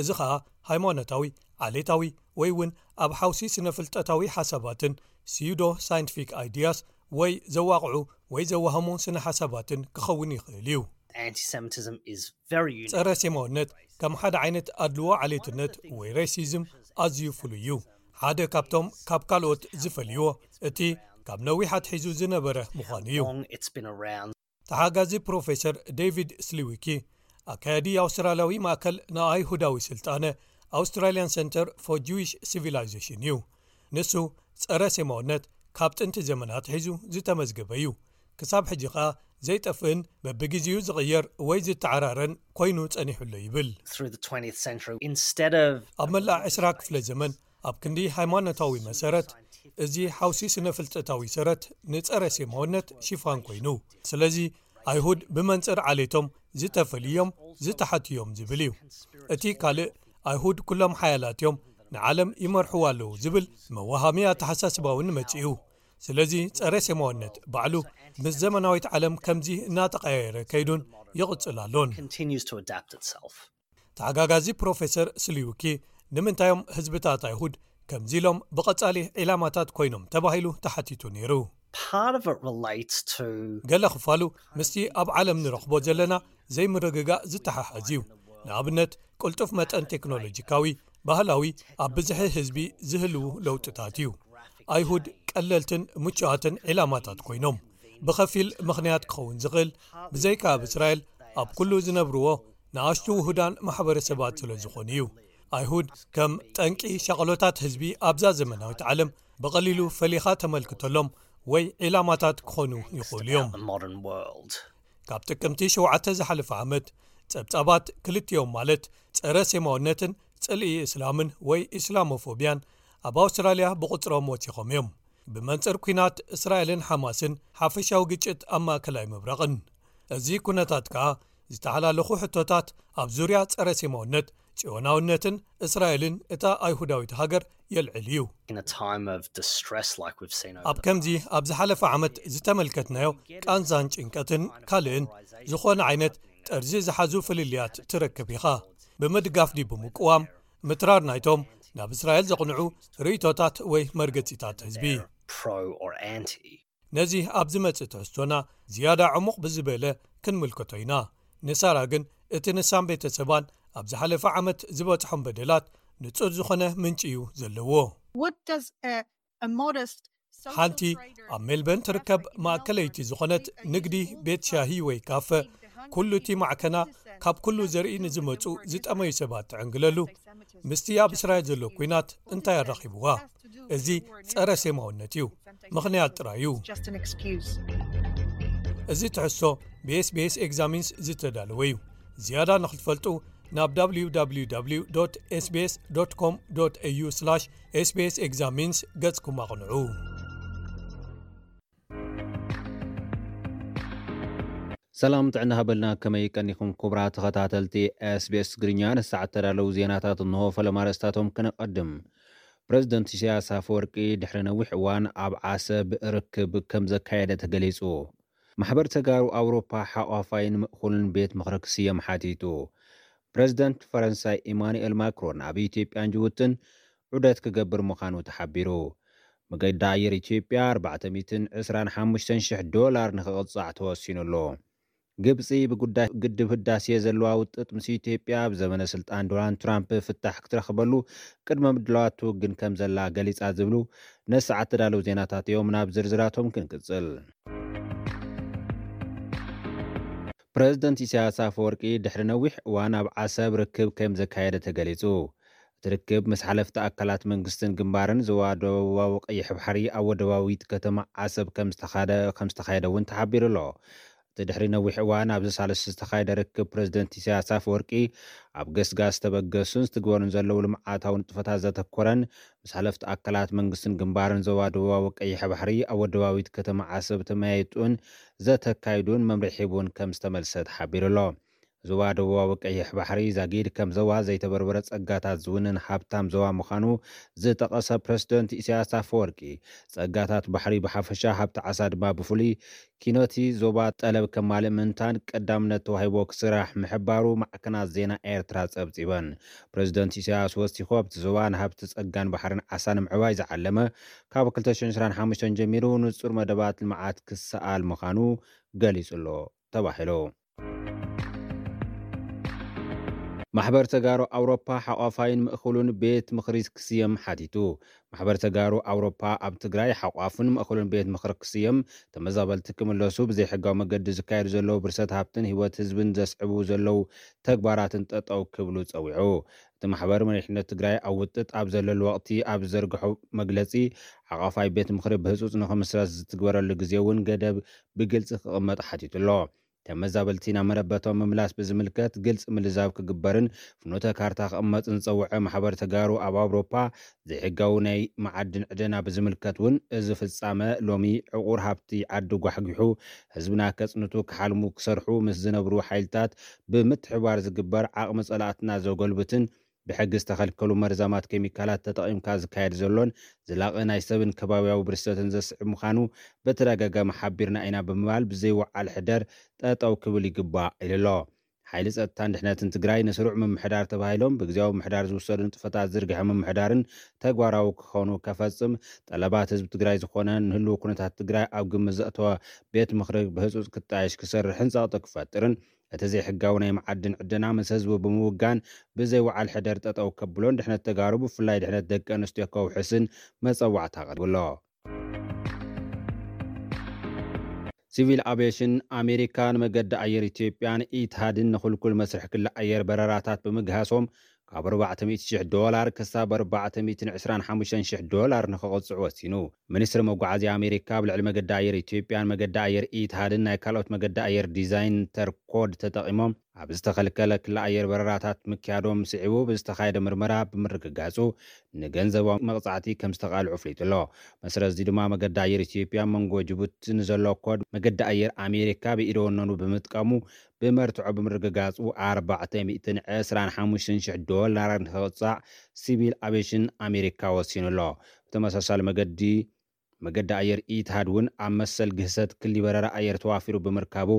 እዚ ኸኣ ሃይማኖታዊ፣ ዓሌታዊ ወይ እውን ኣብ ሓውሲ ስነ-ፍልጠታዊ ሓሳባትን፣ ሲዩዶ ሳይንቲፊክ ኣይድያስ፣ ወይ ዘዋቕዑ ወይ ዘዋህሙ ስነ ሓሳባትን ክኸውን ይኽእል እዩ። Anti-Semitism is very unique. ጸረ ሴማውነት ከም ሓደ ዓይነት ኣድልዎ ዓሌትነት ወይ ሬሲዝም ኣዝዩ ፍሉይ እዩ። ሓደ ካብቶም ካብ ካልኦት ዝፈልይዎ እቲ ካብ ነዊሕ ኣትሒዙ ዝነበረ ምዃኑ እዩ። Long it's been around. ተሓጋዚ ፕሮፌሰር ዴቪድ ስሊዊኪ፣ ኣካያዲ ኣውስትራልያዊ ማእከል ንኣይሁዳዊ ስልጣነ፣ ኣውስትራልያን ሰንተር ፎር ጂዊሽ ሲቪላይዜሽን እዩ። ንሱ ጸረ ሴማውነት ካብ ጥንቲ ዘመናት ሒዙ ዝተመዝገበ እዩ። ክሳብ ሕጂ ኸኣ ዘይጠፍእን በብግዜኡ ዝቕየር ወይ ዝተዓራረን ኮይኑ ጸኒሑሎ ይብል። Through the twentieth century, instead of ኣብ መላእ ዕስራ ክፍለ ዘመን ኣብ ክንዲ ሃይማኖታዊ መሰረት እዚ ሓውሲ ስነ ፍልጠታዊ ሰረት ንጸረ ሴማውነት ሽፋን ኮይኑ። ስለዚ ኣይሁድ ብመንጽር ዓሌቶም ዝተፈልዮም ዝተሓትዮም ዝብል እዩ። እቲ ካልእ ኣይሁድ ኩሎም ሓያላት እዮም፣ ንዓለም ይመርሕዋ ኣለዉ ዝብል መዋሃሚ ኣተሓሳስባ እውን መጺኡ። ስለዚ ጸረ ሴማውነት ባዕሉ ምስ ዘመናዊት ዓለም ከምዚ እናተቐያየረ ከይዱን ይቕጽል ኣሎን። Continues to adapt itself. ተሓጋጋዚ ፕሮፌሰር ስሊውኪ ንምንታዮም ህዝብታት ኣይሁድ ከምዚ ኢሎም ብቐጻሊ ዒላማታት ኮይኖም ተባሂሉ ተሓቲቱ ነይሩ። Part of it relates to ገለ ክፋሉ ምስቲ ኣብ ዓለም ንረኽቦ ዘለና ዘይምርግጋእ ዝተሓሓዝ እዩ። ንኣብነት ቅልጡፍ መጠን ቴክኖሎጂካዊ፣ ባህላዊ፣ ኣብ ብዝሒ ህዝቢ ዝህልዉ ለውጥታት እዩ። ኣይሁድ ቀለልትን ምቹኣትን ዒላማታት ኮይኖም ብኸፊል ምኽንያት ክኸውን ዝኽእል ብዘይካ ኣብ እስራኤል ኣብ ኩሉ ዝነብርዎ ንኣሽቱ ውሁዳን ማሕበረሰባት ስለ ዝኾኑ እዩ። ኣይሁድ ከም ጠንቂ ሻቕሎታት ህዝቢ ኣብዛ ዘመናዊት ዓለም ብቐሊሉ ፈሊኻ ተመልክተሎም ወይ ዒላማታት ክኾኑ ይኽእሉ እዮም። The modern world. ካብ ጥቅምቲ ሸውዓተ ዝሓለፈ ዓመት ጸብጻባት ክልቲኦም ማለት ጸረ ሴማውነትን ጽልኢ እስላምን ወይ ኢስላሞፎቢያን ኣብ ኣውስትራልያ ብቑጽሮም ወሲኾም እዮም። ብመንጽር ኲናት እስራኤልን ሓማስን ሓፈሻዊ ግጭት ኣብ ማእከላይ ምብራቕን እዚ ኩነታት ከኣ ዝተሓላለኹ ሕቶታት ኣብ ዙርያ ጸረ ሴማውነት፣ ጽዮናውነትን እስራኤልን እታ ኣይሁዳዊት ሃገር የልዕል እዩ። In a time of distress like we've seen over ኣብ ከምዚ ኣብ ዝሓለፈ ዓመት ዝተመልከትናዮ ቃንዛን ጭንቀትን ካልእን ዝኾነ ዓይነት ጠርዚ ዝሓዙ ፍልልያት ትረክብ ኢኻ። ብምድጋፍ ድዩ ብምቅዋም ምትራር ናይቶም ናብ እስራኤል ዘቕንዑ ርእይቶታት ወይ መርገጺታት ህዝቢ። Pro or anti. ነዚ ኣብ ዝመጽእ ትሕዝቶና ዝያዳ ዕሙቕ ብዝበለ ክንምልከቶ ኢና። ንሳራ ግን እቲ ንሳን ቤተሰባን ኣብ ዝሓለፈ ዓመት ዝበጽሖም በደላት ንጹር ዝኾነ ምንጪ እዩ ዘለዎ። What does a, a modest sole ሓንቲ trader ኣብ ሜልበርን ትርከብ ማእከለይቲ ዝኾነት ንግዲ ቤት ሻሂ ወይ ካፈ፣ ኩሉ እቲ ማዕከና ካብ ኩሉ ዘርኢ ንዝመጹ ዝጠመዩ ሰባት ትዕንግለሉ ምስቲ ኣብ እስራኤል ዘሎ ኲናት እንታይ ኣራኺብዋ? እዚ ጸረ ሴማውነት እዩ። ምኽንያት ጥራይ እዩ። Just an excuse. እዚ ትሕዝቶ ብኤስቢኤስ ኤግዛሚንስ ዝተዳለወ እዩ። ዝያዳ ንኽትፈልጡ ናብ www sbs com au sbs examines ገጽኩም ኣቕንዑ። ሰላም ጥዕና ሃበልና፣ ከመይ ቀኒኹም ክቡራት ተኸታተልቲ ኤስቢኤስ ትግርኛ? ንሰዓት ተዳለዉ ዜናታት እንሆ። ፈለማ ኣርእስታቶም ከነቐድም። ፕረዚደንት ኢሳያስ ኣፈወርቂ ድሕሪ ነዊሕ እዋን ኣብ ዓሰብ ርክብ ከም ዘካየደ ተገሊጹ። ማሕበር ተጋሩ ኣውሮፓ ሓቋፋይን ምእኹልን ቤት ምኽሪ ክስየም ሓቲቱ። ፕረዚደንት ፈረንሳይ ኢማኑኤል ማክሮን ኣብ ኢትዮጵያን ጅቡትን ዑደት ክገብር ምዃኑ ተሓቢሩ። መገዲ ኣየር ኢትዮጵያ ኣርባዕተ ሚእትን ዕስራን ሓሙሽተን ሽሕ ዶላር ንኽቕጻዕ ተወሲኑ ኣሎ። ግብጺ ብጉዳይ ግድብ ህዳሴ ዘለዋ ውጥጥ ምስ ኢትዮጵያ ኣብ ዘመነ ስልጣን ዶናልድ ትራምፕ ፍታሕ ክትረኽበሉ ቅድመ ምድላዋት ትውግን ከም ዘላ ገሊጻ ዝብሉ ነሰዓት ተዳለዉ ዜናታት እዮም። ናብ ዝርዝራቶም ክንቅጽል። ፕረዚደንት ኢሳያስ ኣፈወርቂ ድሕሪ ነዊሕ እዋን ኣብ ዓሰብ ርክብ ከም ዘካየደ ተገሊጹ። እቲ ርክብ ምስ ሓለፍቲ ኣካላት መንግስትን ግንባርን ዞባ ደቡባዊ ቀይሕ ባሕሪ ኣብ ወደባዊት ከተማ ዓሰብ ከም ዝተኻደ-፣ ከም ዝተኻየደ እውን ተሓቢሩ ኣሎ። እቲ ድሕሪ ነዊሕ እዋን ኣብዚ ሳልስቲ ዝተኻየደ ርክብ ፕረዚደንት ኢሳያስ ኣፈወርቂ ኣብ ገስጋስ ዝተበገሱን ዝትግበሩን ዘለዉ ልምዓታዊ ንጥፈታት ዘተኮረን ምስ ሓለፍቲ ኣካላት መንግስትን ግንባርን ዞባ ደቡባዊ ቀይሕ ባሕሪ ኣብ ወደባዊት ከተማ ዓሰብ ተመያይጡን ዘተካይዱን መምርሒ ሂቡን ከም ዝተመልሰ ተሓቢሩ ኣሎ። ዞባ ደቡባዊ ቀይሕ ባሕሪ ዛጊድ ከም ዞባ ዘይተበርበረ ጸጋታት ዝውንን ሃብታም ዞባ ምዃኑ ዝጠቐሰ ፕረዚደንት ኢሳያስ ኣፈወርቂ፣ ጸጋታት ባሕሪ ብሓፈሻ፣ ሃብቲ ዓሳ ድማ ብፍሉይ፣ ኪኖቲ ዞባ ጠለብ ከማልእ ምእንታን ቀዳምነት ተዋሂቦ ክስራሕ ምሕባሩ ማዕከናት ዜና ኤርትራ ጸብጺበን። ፕረዚደንት ኢሳያስ ወሲኹ፣ ኣብቲ ዞባ ንሃብቲ ጸጋን ባሕርን ዓሳ ንምዕባይ ዝዓለመ፣ ካብ ክልተ ሽሕን ዕስራን ሓሙሽተን ጀሚሩ ንጹር መደባት ልምዓት ክሰኣል ምዃኑ ገሊጹ ኣሎ ተባሂሉ። ማሕበር ተጋሩ ኣውሮፓ ሓቋፋይን ምእኹሉን ቤት ምኽሪ ክስየም ሓቲቱ። ማሕበር ተጋሩ ኣውሮፓ ኣብ ትግራይ ሓቋፍን ምእኹሉን ቤት ምኽሪ ክስየም፣ ተመዛበልቲ ክምለሱ፣ ብዘይሕጋዊ መገዲ ዝካየዱ ዘለዉ ብርሰት ሃብትን ህይወት ህዝብን ዘስዕቡ ዘለዉ ተግባራትን ጠጠው ክብሉ ጸዊዑ። እቲ ማሕበር መሪሕነት ትግራይ ኣብ ውጥጥ ኣብ ዘለሉ ወቕቲ ኣብ ዝዘርግሖ መግለጺ፣ ሓቋፋይ ቤት ምኽሪ ብህጹጽ ንኽምስረት ዝትግበረሉ ግዜ እውን ገደብ ብግልጺ ክቕመጥ ሓቲቱ ኣሎ። ተመዛበልቲ ናብ መረበቶም ምምላስ ብዝምልከት ግልፂ ምልዛብ ክግበርን ፍኖተ ካርታ ክቕመጥን ዝፀውዐ ማሕበር ተጋሩ ኣብ ኣውሮፓ፣ ዘይሕጋዊ ናይ መዓድን ዕደና ብዝምልከት እውን እዚ ፍፃመ ሎሚ ዕቑር ሃብቲ ዓዲ ጓሕጒሑ ህዝብና ከፅንቱ ክሓልሙ ክሰርሑ ምስ ዝነብሩ ሓይልታት ብምትሕብባር ዝግበር ዓቕሚ ፀላእትና ዘጎልብትን ብሕጊ ዝተኸልከሉ መርዛማት ኬሚካላት ተጠቒምካ ዝካየድ ዘሎን ዝላቐ ናይ ሰብን ከባብያዊ ብርሰትን ዘስዕብ ምዃኑ በተደጋጋሚ ሓቢርና ኢና ብምባል ብዘይወዓል ሕደር ጠጠው ክብል ይግባእ ኢሉ ኣሎ። ሓይሊ ጸጥታን ድሕነትን ትግራይ ንስሩዕ ምምሕዳር ተባሂሎም ብግዜያዊ ምምሕዳር ዝውሰዱ ንጥፈታት ዝርግሐ ምምሕዳርን ተግባራዊ ክኾኑ ከፈጽም ጠለባት ህዝቢ ትግራይ ዝኾነ ንህልው ኩነታት ትግራይ ኣብ ግምት ዘእተወ ቤት ምኽሪ ብህጹጽ ክጣየሽ ክሰርሕን ጸቕጢ ክፈጥርን እቲ ዘይሕጋዊ ናይ መዓድን ዕደና ምስ ህዝቡ ብምውጋን ብዘይ ወዓል ሕደር ጠጠው ከብሎን ድሕነት ተጋሩ ብፍላይ ድሕነት ደቂ ኣንስትዮ ከውሕስን መጸዋዕታ ኣቕሪቡ ኣሎ። ሲቪል ኣቪዬሽን ኣሜሪካ ንመገዲ ኣየር ኢትዮጵያን ኢትሃድን ንኽልኩል መስርሕ ክሊ ኣየር በረራታት ብምግሃሶም ካብ ኣርባዕተ ሚእቲ ሽሕ ዶላር ክሳብ ኣርባዕተ ሚእትን ዕስራን ሓሙሽተን ሽሕ ዶላር ንኽቕጽዑ ወሲኑ። ሚኒስትሪ መጓዓዝያ ኣሜሪካ ኣብ ልዕሊ መገዲ ኣየር ኢትዮጵያን መገዲ ኣየር ኢትሃድን ናይ ካልኦት መገዲ ኣየር ዲዛይን ተር ኮድ ተጠቒሞም ኣብ ዝተኸልከለ ክሊ ኣየር በረራታት ምክያዶም ስዒቡ ብዝተኻየደ ምርመራ ብምርግጋጹ ንገንዘባዊ መቕጻዕቲ ከም ዝተቓልዑ ኣፍሊጡ ኣሎ። መሰረት እዚ ድማ መገዲ ኣየር ኢትዮጵያ መንጎ ጅቡቲ ንዘሎ ኮድ መገዲ ኣየር ኣሜሪካ ብኢደ ወነኑ ብምጥቃሙ ብመርትዖ ብምርግጋጹ ኣርባዕተ ሚእትን ዕስራን ሓሙሽተን ሽሕ ዶላር ንኽቕጻዕ ሲቪል ኣቪዬሽን ኣሜሪካ ወሲኑ ኣሎ። ብተመሳሳሊ መገዲ መገዲ ኣየር ኢትሃድ እውን ኣብ መሰል ግህሰት ክሊ በረራ ኣየር ተዋፊሩ ብምርካቡ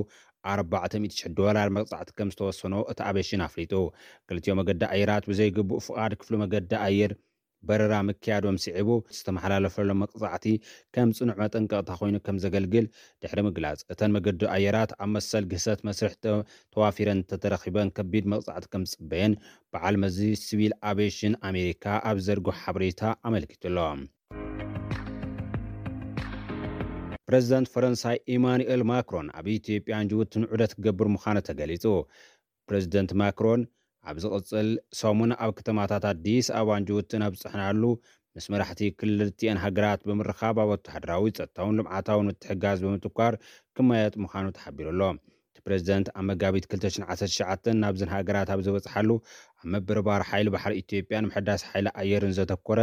ኣርባዕተ ሚእቲ ሽሕ ዶላር መቕጻዕቲ ከም ዝተወሰኖ እቲ ኣቪዬሽን ኣፍሊጡ። ክልቲኦ መገዲ ኣየራት ብዘይግቡእ ፍቓድ ክፍሊ መገዲ ኣየር በረራ ምክያዶም ስዒቡ ዝተመሓላለፈሎም መቕጻዕቲ ከም ጽኑዕ መጠንቀቕታ ኮይኑ ከም ዘገልግል ድሕሪ ምግላጽ፣ እተን መገዲ ኣየራት ኣብ መሰል ግህሰት መስርሕ ተ-፣ ተዋፊረን እንተተረኺበን ከቢድ መቕጻዕቲ ከም ዝጽበየን በዓል መዚ ሲቪል ኣቪዬሽን ኣሜሪካ ኣብ ዘርግሖ ሓበሬታ ኣመልኪቱ ኣሎ። ፕረዚደንት ፈረንሳይ ኢማኑኤል ማክሮን ኣብ ኢትዮጵያን ጅቡትን ዑደት ክገብር ምዃኑ ተገሊጹ። ፕረዚደንት ማክሮን ኣብ ዝቕጽል ሰሙን ኣብ ከተማታት ኣዲስ ኣበባን ጅቡትን ኣብ ዝጸሓናሉ ምስ መራሕቲ ክልቲኣን ሃገራት ብምርኻብ ኣብ ወተሃደራዊ፣ ጸጥታውን ልምዓታውን ምትሕግጋዝ ብምትኳር ክመያየጥ ምዃኑ ተሓቢሩ ኣሎ። እቲ ፕረዚደንት ኣብ መጋቢት ክልተ ሽሕን ዓሰርተ ትሽዓተን ናብዘን ሃገራት ኣብ ዝበጽሓሉ ኣብ ምብርባር ሓይሊ ባሕሪ ኢትዮጵያን ምሕዳስ ሓይሊ ኣየርን ዘተኮረ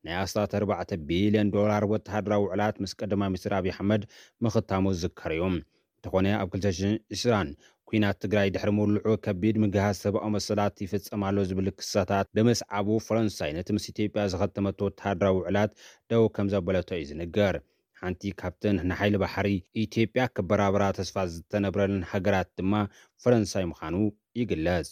ናይ ኣስታት ኣርባዕተ ቢልዮን ዶላር ወተሃደራዊ ውዕላት ምስ ቀዳማይ ሚኒስትር ኣብይ ኣሕመድ ምኽታሙ ዝዝከር እዩ። እንተኾነ ኣብ ክልተ ሽሕን ዕስራን ኲናት ትግራይ ድሕሪ ምውልዑ ከቢድ ምግሃስ ሰብኣዊ መሰላት ይፍጸም ኣሎ ዝብል ክሳታት ብምስዓቡ ፈረንሳይ ነቲ ምስ ኢትዮጵያ ዝኸተመቶ ወተሃደራዊ ውዕላት ደው ከም ዘበለቶ እዩ ዝንገር። ሓንቲ ካብተን ንሓይሊ ባሕሪ ኢትዮጵያ ክበራበራ ተስፋ ዝተነብረለን ሃገራት ድማ ፈረንሳይ ምዃኑ ይግለጽ።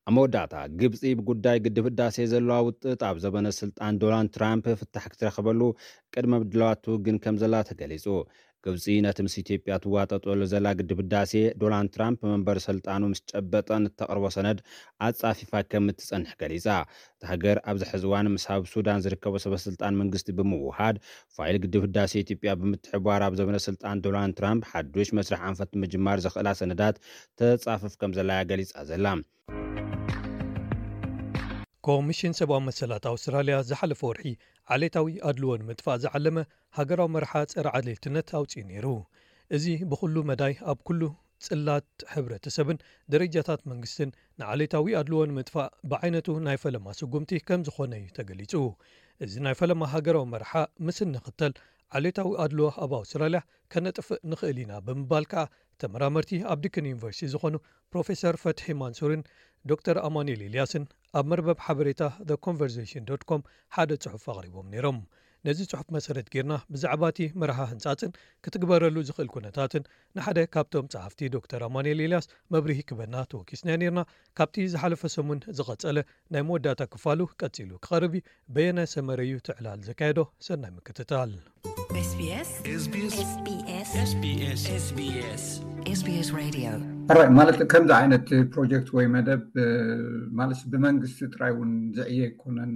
ኣብ መወዳእታ፣ ግብጺ ብጉዳይ ግድብ ህዳሴ ዘለዋ ውጥጥ ኣብ ዘበነ ስልጣን ዶናልድ ትራምፕ ፍታሕ ክትረኽበሉ ቅድመ ምድላዋት ትውግን ከም ዘላ ተገሊጹ። ግብፂ ነቲ ምስ ኢትዮጵያ ትዋጠጠሉ ዘላ ግድብ ህዳሴ ዶናልድ ትራምፕ መንበሪ ስልጣኑ ምስ ጨበጠን እተቕርቦ ሰነድ ኣፃፊፋ ከም እትፀንሕ ገሊፃ። እታ ሃገር ኣብዚ ሕዚ እዋን ምስ ኣብ ሱዳን ዝርከቡ ሰበስልጣን መንግስቲ ብምውሃድ ፋይል ግድብ ህዳሴ ኢትዮጵያ ብምትሕብባር ኣብ ዘመነ ስልጣን ዶናልድ ትራምፕ ሓዱሽ መስርሕ ኣንፈት ንምጅማር ዘኽእላ ሰነዳት ተፃፍፍ ከም ዘላ እያ ገሊፃ ዘላ። ኮሚሽን ሰብኣዊ መሰላት ኣውስትራልያ ዝሓለፈ ወርሒ ዓሌታዊ ኣድልዎ ንምጥፋእ ዝዓለመ ሃገራዊ መርሓ ጸረ ዓሌትነት ኣውጺኡ ነይሩ። እዚ ብኹሉ መዳይ ኣብ ኩሉ ጽላት ሕብረተሰብን ደረጃታት መንግስትን ንዓሌታዊ ኣድልዎ ንምጥፋእ ብዓይነቱ ናይ ፈለማ ስጉምቲ ከም ዝኾነ እዩ ተገሊጹ። እዚ ናይ ፈለማ ሃገራዊ መርሓ ምስ እንኽተል ዓሌታዊ ኣድልዎ ኣብ ኣውስትራልያ ከነጥፍእ ንኽእል ኢና ብምባል ከኣ ተመራመርቲ ኣብ ዲክን ዩኒቨርሲቲ ዝኾኑ ፕሮፌሰር ፈትሒ ማንሱርን ዶክተር ኣማኑኤል ኤልያስን ኣብ መርበብ ሓበሬታ the conversation dot com ሓደ ጽሑፍ ኣቕሪቦም ነይሮም። ነዚ ጽሑፍ መሰረት ጌርና ብዛዕባ እቲ መርሃ ህንጻጽን ክትግበረሉ ዝኽእል ኩነታትን ንሓደ ካብቶም ጸሓፍቲ ዶክተር ኣማኑኤል ኤልያስ መብርሂ ክበና ተወኪስና ነይርና። ካብቲ ዝሓለፈ ሰሙን ዝቐጸለ ናይ መወዳእታ ክፋሉ ቀጺሉ ክቐርብ እዩ። በየነ ሰመረ እዩ ትዕላል ዘካየዶ። ሰናይ ምክትታል። SBS SBS SBS SBS SBS Radio ሕራይ ማለት ከምዚ ዓይነት ፕሮጀክት ወይ መደብ ማለት ብመንግስቲ ጥራይ እውን ዝዕየ ኣይኮነን።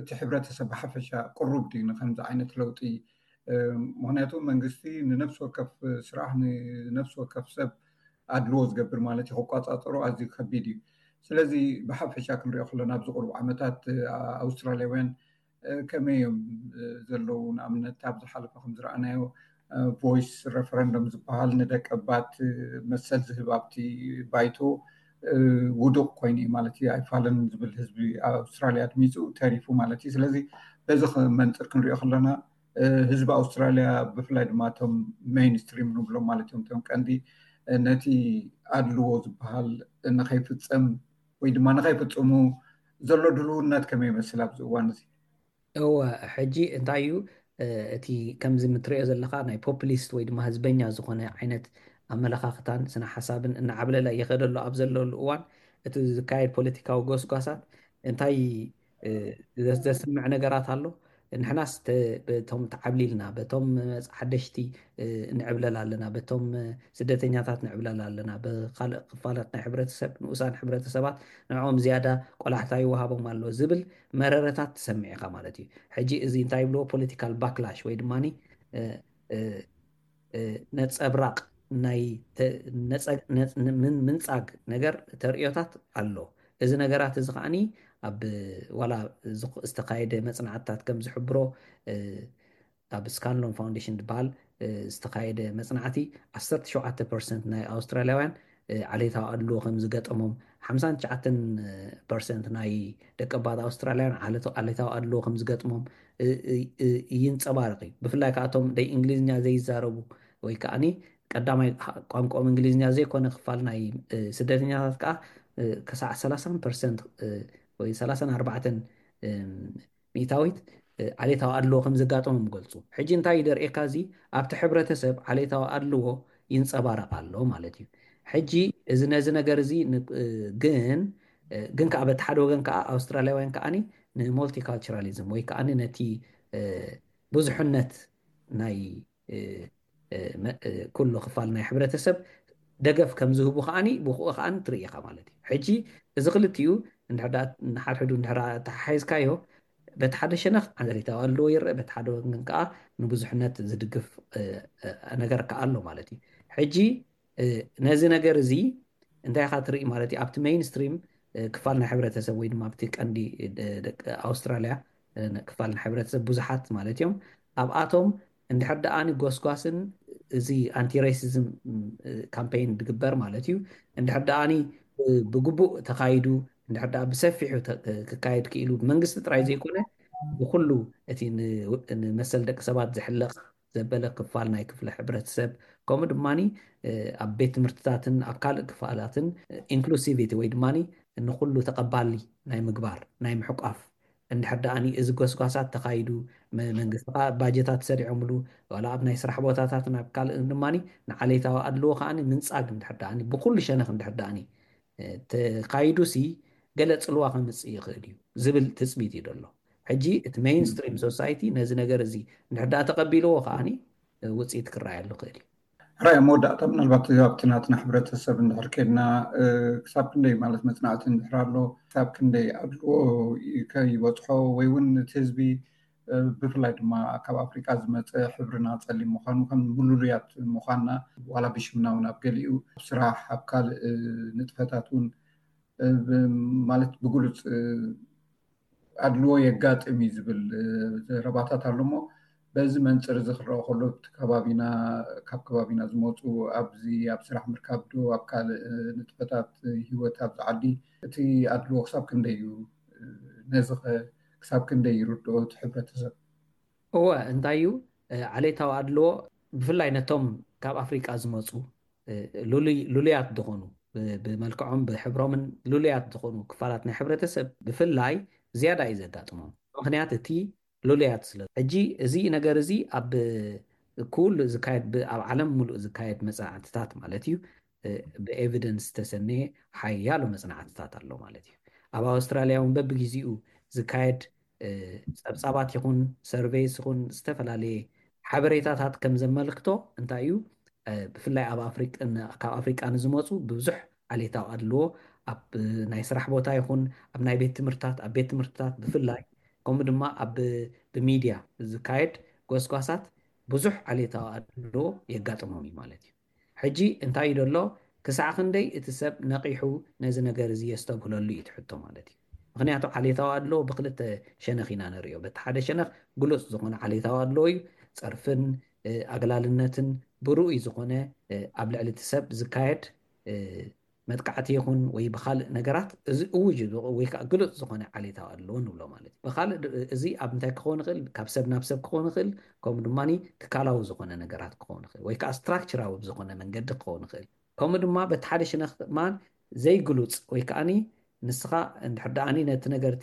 እቲ ሕብረተሰብ ብሓፈሻ ቅሩብ ድዩ ንከምዚ ዓይነት ለውጢ? ምክንያቱ መንግስቲ ንነፍሲ ወከፍ ስራሕ ንነፍሲ ወከፍ ሰብ ኣድልዎ ዝገብር ማለት እዩ። ክቋፃፀሮ ኣዝዩ ከቢድ እዩ። ስለዚ ብሓፈሻ ክንሪኦ ከለና ኣብዚ ቅሩብ ዓመታት ኣውስትራልያውያን ከመይ እዮም ዘለዉ? ንኣብነት ኣብ ዝሓለፈ ከም ዝረኣናዮ ቮይስ ረፈረንደም ዝበሃል ንደቀባት መሰል ዝህብ ኣብቲ ባይቶ ውዱቕ ኮይኑ እዩ ማለት እዩ። ኣይፋልን ዝብል ህዝቢ ኣውስትራልያ ኣድሚፁ ተሪፉ ማለት እዩ። ስለዚ በዚ መንፅር ክንሪኦ ከለና ህዝቢ ኣውስትራልያ ብፍላይ ድማ እቶም ሜይንስትሪም ንብሎም ማለት እዮም እቶም ቀንዲ ነቲ ኣድልዎ ዝበሃል ንኸይፍፀም ወይ ድማ ንኸይፍፅሙ ዘሎ ድልውነት ከመይ ይመስል ኣብዚ እዋን እዚ? እወ ሕጂ እንታይ እዩ እቲ ከምዚ ምትሪኦ ዘለካ ናይ ፖፕሊስት ወይ ድማ ህዝበኛ ዝኾነ ዓይነት ኣመለኻኽታን ስነ ሓሳብን እናዓብለለ እየኸደሉ ኣብ ዘለሉ እዋን እቲ ዝካየድ ፖለቲካዊ ጎስጓሳት እንታይ ዘስምዕ ነገራት ኣሎ? ንሕናስ በቶም ተዓብሊልና በቶም ሓደሽቲ ንዕብለል ኣለና፣ በቶም ስደተኛታት ንዕብለል ኣለና፣ ብካልእ ክፋላት ናይ ሕብረተሰብ ንኡሳን ሕብረተሰባት ንዕኦም ዝያዳ ቆላሕታ ይወሃቦም ኣሎ ዝብል መረረታት ትሰምዕ ኢኻ ማለት እዩ። ሕጂ እዚ እንታይ ይብልዎ ፖለቲካል ባክላሽ ወይ ድማ ነፀብራቕ ናይ ምንፃግ ነገር ተርእዮታት ኣሎ። እዚ ነገራት እዚ ከዓኒ ኣብ ዋላ ዝተኻየደ መፅናዕትታት ከም ዝሕብሮ ኣብ ስካንሎን ፋውንዴሽን ዝበሃል ዝተኻየደ መፅናዕቲ ዓሰርተ ሸውዓተ ፐርሰንት ናይ ኣውስትራልያውያን ዓሌታዊ ኣድልዎ ከም ዝገጠሞም፣ ሓምሳን ትሽዓተን ፐርሰንት ናይ ደቀባት ኣውስትራልያውያን ዓሌታዊ ኣድልዎ ከም ዝገጥሞም ይንፀባረቕ እዩ። ብፍላይ ከኣቶም ደይ እንግሊዝኛ ዘይዛረቡ ወይ ከዓኒ ቀዳማይ ቋንቋኦም እንግሊዝኛ ዘይኮነ ክፋል ናይ ስደተኛታት ከዓ ከሳዕ ሰላሳን ፐርሰንት ወይ ሰላሳን ኣርባዕተን ሚእታዊት ዓሌታዊ ኣድልዎ ከም ዘጋጠሞም ይገልፁ። ሕጂ እንታይ እዩ ደርእየካ? እዚ ኣብቲ ሕብረተሰብ ዓሌታዊ ኣድልዎ ይንፀባረቕ ኣሎ ማለት እዩ። ሕጂ እዚ ነዚ ነገር እዚ ግን ግን ከዓ በቲ ሓደ ወገን ከዓ ኣውስትራልያውያን ከዓኒ ንሞልቲካልቸራሊዝም ወይ ከዓኒ ነቲ ብዙሕነት ናይ ኩሉ ክፋል ናይ ሕብረተሰብ ደገፍ ከም ዝህቡ ከዓኒ ብክኡ ከዓኒ ትርኢ ኢኻ ማለት እዩ። ሕጂ እዚ ክልቲኡ ንሓድሕዱ እንድሕር ተሓሒዝካዮ በቲ ሓደ ሸነኽ ዓሌታዊ ኣድልዎ ይረአ፣ በቲ ሓደ ወገን ከዓ ንብዙሕነት ዝድግፍ ነገር ከዓ ኣሎ ማለት እዩ። ሕጂ ነዚ ነገር እዚ እንታይ ኢኻ ትርኢ ማለት እዩ? ኣብቲ ሜይንስትሪም ክፋል ናይ ሕብረተሰብ ወይ ድማ ኣብቲ ቀንዲ ደቂ ኣውስትራልያ ክፋል ናይ ሕብረተሰብ ብዙሓት ማለት እዮም። ኣብኣቶም እንድሕር ደኣኒ ጎስጓስን እዚ ኣንቲ ሬሲዝም ካምፔይን ዝግበር ማለት እዩ እንድሕር ደኣኒ ብግቡእ ተኻይዱ እንድሕር ደኣ ብሰፊሑ ክካየድ ክኢሉ ብመንግስቲ ጥራይ ዘይኮነ ብኩሉ እቲ ንመሰል ደቂ ሰባት ዝሕለቕ ዘበለ ክፋል ናይ ክፍለ ሕብረተሰብ ከምኡ ድማ ኣብ ቤት ትምህርትታትን ኣብ ካልእ ክፋላትን ኢንክሉሲቪቲ ወይ ድማ ንኩሉ ተቐባሊ ናይ ምግባር ናይ ምሕቋፍ እንድሕር ደኣኒ እዚ ጎስጓሳት ተኻይዱ መንግስቲ ከዓ ባጀታት ሰሪዖምሉ ዋላ ኣብ ናይ ስራሕ ቦታታትን ኣብ ካልእ ድማ ንዓሌታዊ ኣድልዎ ከዓ ምንፃግ እንድሕር ደኣኒ ብኩሉ ሸነኽ እንድሕር ደኣኒ ተኻይዱ ሲ ገለ ፅልዋ ከምፅእ ይኽእል እዩ ዝብል ትፅቢት እዩ ዘሎ። ሕጂ እቲ ሜይንስትሪም ሶሳይቲ ነዚ ነገር እዚ እንድሕር ደኣ ተቐቢልዎ ከዓኒ ውፅኢት ክረኣየሉ ክእል እዩ። ሕራይ ኣብ መወዳእታ ምናልባት ኣብቲ ናትና ሕብረተሰብ እንድሕር ከድና ክሳብ ክንደይ ማለት መፅናዕቲ እንድሕር ኣሎ ክሳብ ክንደይ ኣድልዎ ከይበፅሖ ወይ እውን እቲ ህዝቢ ብፍላይ ድማ ካብ ኣፍሪቃ ዝመፀ ሕብርና ፀሊም ምኳኑ ከም ምሉሉያት ምኳንና ዋላ ብሽምና እውን ኣብ ገሊኡ ኣብ ስራሕ ኣብ ካልእ ንጥፈታት እውን ማለት ብግሉፅ ኣድልዎ የጋጥም እዩ ዝብል ዘረባታት ኣሎ እሞ በዚ መንፅር እዚ ክረአ ከሎ እቲ ከባቢና ካብ ከባቢና ዝመፁ ኣብዚ ኣብ ስራሕ ምርካብ ዶ ኣብ ካልእ ንጥፈታት ህይወት ኣብዚ ዓዲ እቲ ኣድልዎ ክሳብ ክንደይ እዩ ነዚ ክሳብ ክንደይ ይርድኦ እቲ ሕብረተሰብ? እወ እንታይ እዩ ዓሌታዊ ኣድልዎ ብፍላይ ነቶም ካብ ኣፍሪቃ ዝመፁ ሉሉያት ዝኾኑ ብመልክዖም ብሕብሮምን ሉሉያት ዝኾኑ ክፋላት ናይ ሕብረተሰብ ብፍላይ ዝያዳ እዩ ዘጋጥሞም። ምክንያት እቲ ሉሉያት ስለ ሕጂ እዚ ነገር እዚ ኣብ ኩሉ ዝካየድ ኣብ ዓለም ሙሉእ ዝካየድ መፅናዕትታት ማለት እዩ ብኤቪደንስ ዝተሰነየ ሓያሎ መፅናዕትታት ኣሎ ማለት እዩ። ኣብ ኣውስትራሊያ እውን በብግዜኡ ዝካየድ ፀብፃባት ይኹን ሰርቬይስ ይኹን ዝተፈላለየ ሓበሬታታት ከም ዘመልክቶ እንታይ እዩ ብፍላይ ኣብ ካብ ኣፍሪቃ ንዝመፁ ብብዙሕ ዓሌታዊ ኣድልዎ ኣብ ናይ ስራሕ ቦታ ይኹን ኣብ ናይ ቤት ትምህርትታት ኣብ ቤት ትምህርትታት ብፍላይ ከምኡ ድማ ኣብ ብሚድያ ዝካየድ ጎስጓሳት ብዙሕ ዓሌታዊ ኣድልዎ የጋጥሞም እዩ ማለት እዩ። ሕጂ እንታይ እዩ ደሎ ክሳዕ ክንደይ እቲ ሰብ ነቒሑ ነዚ ነገር እዚ የስተብህለሉ እዩ ትሕቶ ማለት እዩ። ምክንያቱ ዓሌታዊ ኣድልዎ ብክልተ ሸነኽ ኢና ንሪኦ። በቲ ሓደ ሸነኽ ግሉፅ ዝኾነ ዓሌታዊ ኣድልዎ እዩ። ፀርፍን ኣግላልነትን ብርኡይ ዝኾነ ኣብ ልዕሊ እቲ ሰብ ዝካየድ መጥቃዕቲ ይኹን ወይ ብካልእ ነገራት እዚ እውጅ ወይ ከዓ ግሉፅ ዝኾነ ዓሌታዊ ኣድልዎ ንብሎ ማለት እዩ። ብካልእ እዚ ኣብ እንታይ ክኸውን ይኽእል? ካብ ሰብ ናብ ሰብ ክኸውን ይኽእል፣ ከምኡ ድማ ትካላዊ ዝኾነ ነገራት ክኸውን ይኽእል ወይ ከዓ ስትራክቸራዊ ብዝኾነ መንገዲ ክኸውን ይኽእል። ከምኡ ድማ በቲ ሓደ ሽነኽ ድማ ዘይግሉፅ ወይ ከዓኒ ንስኻ እንድሕር ደኣኒ ነቲ ነገር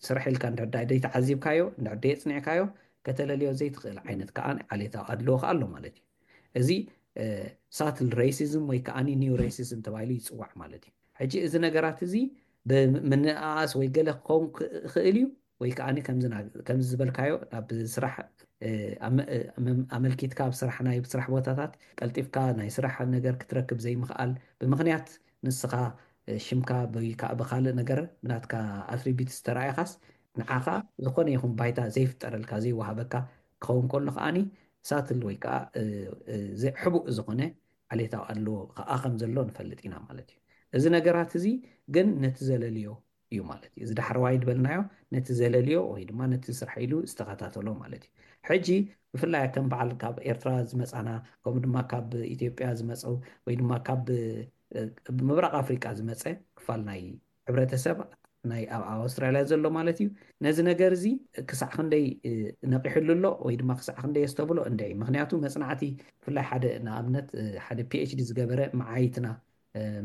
ስራሕ ኢልካ እንድሕር ደኣ ዘይተዓዚብካዮ እንድሕር ደየፅኒዕካዮ ከተለልዮ ዘይትኽእል ዓይነት ከዓ ዓሌታዊ ኣድልዎ ከዓ ኣሎ ማለት እዩ። እዚ ሳትል ሬሲዝም ወይ ከዓኒ ኒው ሬሲዝም ተባሂሉ ይፅዋዕ ማለት እዩ። ሕጂ እዚ ነገራት እዚ ብምንእኣስ ወይ ገለ ክኸውን ክእል እዩ ወይ ከዓኒ ከምዚ ዝበልካዮ ኣብ ስራሕ ኣመልኪትካ ኣብ ስራሕ ናይ ስራሕ ቦታታት ቀልጢፍካ ናይ ስራሕ ነገር ክትረክብ ዘይምኽኣል ብምኽንያት ንስኻ ሽምካ ብካልእ ነገር ብናትካ ኣትሪቢት ዝተረኣየካስ ንዓኻ ዝኾነ ይኹን ባይታ ዘይፍጠረልካ ዘይወሃበካ ክኸውን ከሎ ከዓኒ ሳትል ወይ ከዓ ሕቡእ ዝኾነ ዓሌታዊ ኣድልዎ ከዓ ከም ዘሎ ንፈልጥ ኢና ማለት እዩ። እዚ ነገራት እዚ ግን ነቲ ዘለልዮ እዩ ማለት እዩ። እዚ ዳሕረዋይ ዝበልናዮ ነቲ ዘለልዮ ወይ ድማ ነቲ ስራሕ ኢሉ ዝተኸታተሎ ማለት እዩ። ሕጂ ብፍላይ ከም በዓል ካብ ኤርትራ ዝመፃና ከምኡ ድማ ካብ ኢትዮጵያ ዝመፁ ወይ ድማ ካብ ምብራቕ ኣፍሪቃ ዝመፀ ክፋል ናይ ሕብረተሰብ ናይ ኣብ ኣውስትራልያ ዘሎ ማለት እዩ። ነዚ ነገር እዚ ክሳዕ ክንደይ ነቂሕሉ ኣሎ ወይ ድማ ክሳዕ ክንደይ የስተብሎ እንደ ምክንያቱ መፅናዕቲ ብፍላይ ሓደ ንኣብነት ሓደ ፒኤችዲ ዝገበረ መዓይትና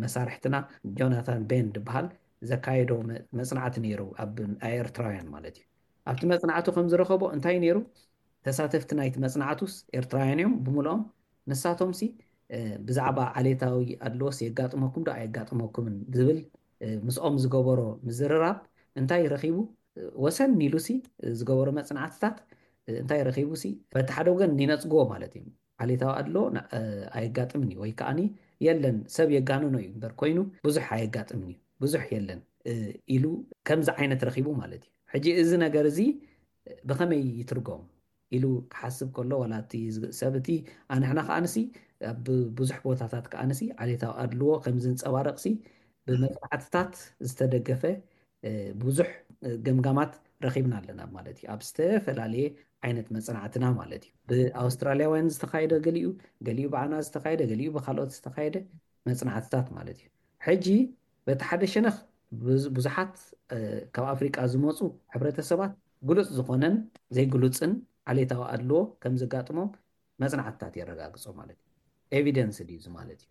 መሳርሕትና ጆናታን ቤን ዝበሃል ዘካየዶ መፅናዕቲ ነይሩ ኣብ ኤርትራውያን ማለት እዩ። ኣብቲ መፅናዕቱ ከም ዝረኸቦ እንታይ ነይሩ ተሳተፍቲ ናይቲ መፅናዕቱስ ኤርትራውያን እዮም ብምልኦም ንሳቶም ሲ ብዛዕባ ዓሌታዊ ኣድልዎስ የጋጥመኩም ዶ ኣየጋጥመኩምን ዝብል ምስኦም ዝገበሮ ምዝርራብ እንታይ ረኺቡ ወሰን ኢሉ ሲ ዝገበሮ መፅናዕትታት እንታይ ረኺቡ ሲ በቲ ሓደ ወገን ይነፅግዎ ማለት እዩ። ዓሌታዊ ኣድሎ ኣየጋጥምን እዩ ወይ ከዓኒ የለን ሰብ የጋንኖ እዩ እምበር ኮይኑ ብዙሕ ኣየጋጥምን እዩ ብዙሕ የለን ኢሉ ከምዚ ዓይነት ረኺቡ ማለት እዩ። ሕጂ እዚ ነገር እዚ ብኸመይ ይትርጎም ኢሉ ክሓስብ ከሎ ዋላ እቲ ሰብ እቲ ኣንሕና ከዓንሲ ኣብ ብዙሕ ቦታታት ከዓንሲ ዓሌታዊ ኣድልዎ ከም ዝንፀባረቕሲ ብመፅናዕትታት ዝተደገፈ ብዙሕ ገምጋማት ረኺብና ኣለና ማለት እዩ። ኣብ ዝተፈላለየ ዓይነት መፅናዕትና ማለት እዩ። ብኣውስትራሊያውያን ዝተኻየደ ገሊኡ፣ ገሊኡ ብዓና ዝተኻየደ፣ ገሊኡ ብካልኦት ዝተኻየደ መፅናዕትታት ማለት እዩ። ሕጂ በቲ ሓደ ሸነኽ ብዙሓት ካብ ኣፍሪቃ ዝመፁ ሕብረተሰባት ግሉፅ ዝኾነን ዘይግሉፅን ዓሌታዊ ኣድልዎ ከም ዘጋጥሞም መፅናዕትታት የረጋግፆ ማለት እዩ። ኤቪደንስ ድዩ ማለት እዩ።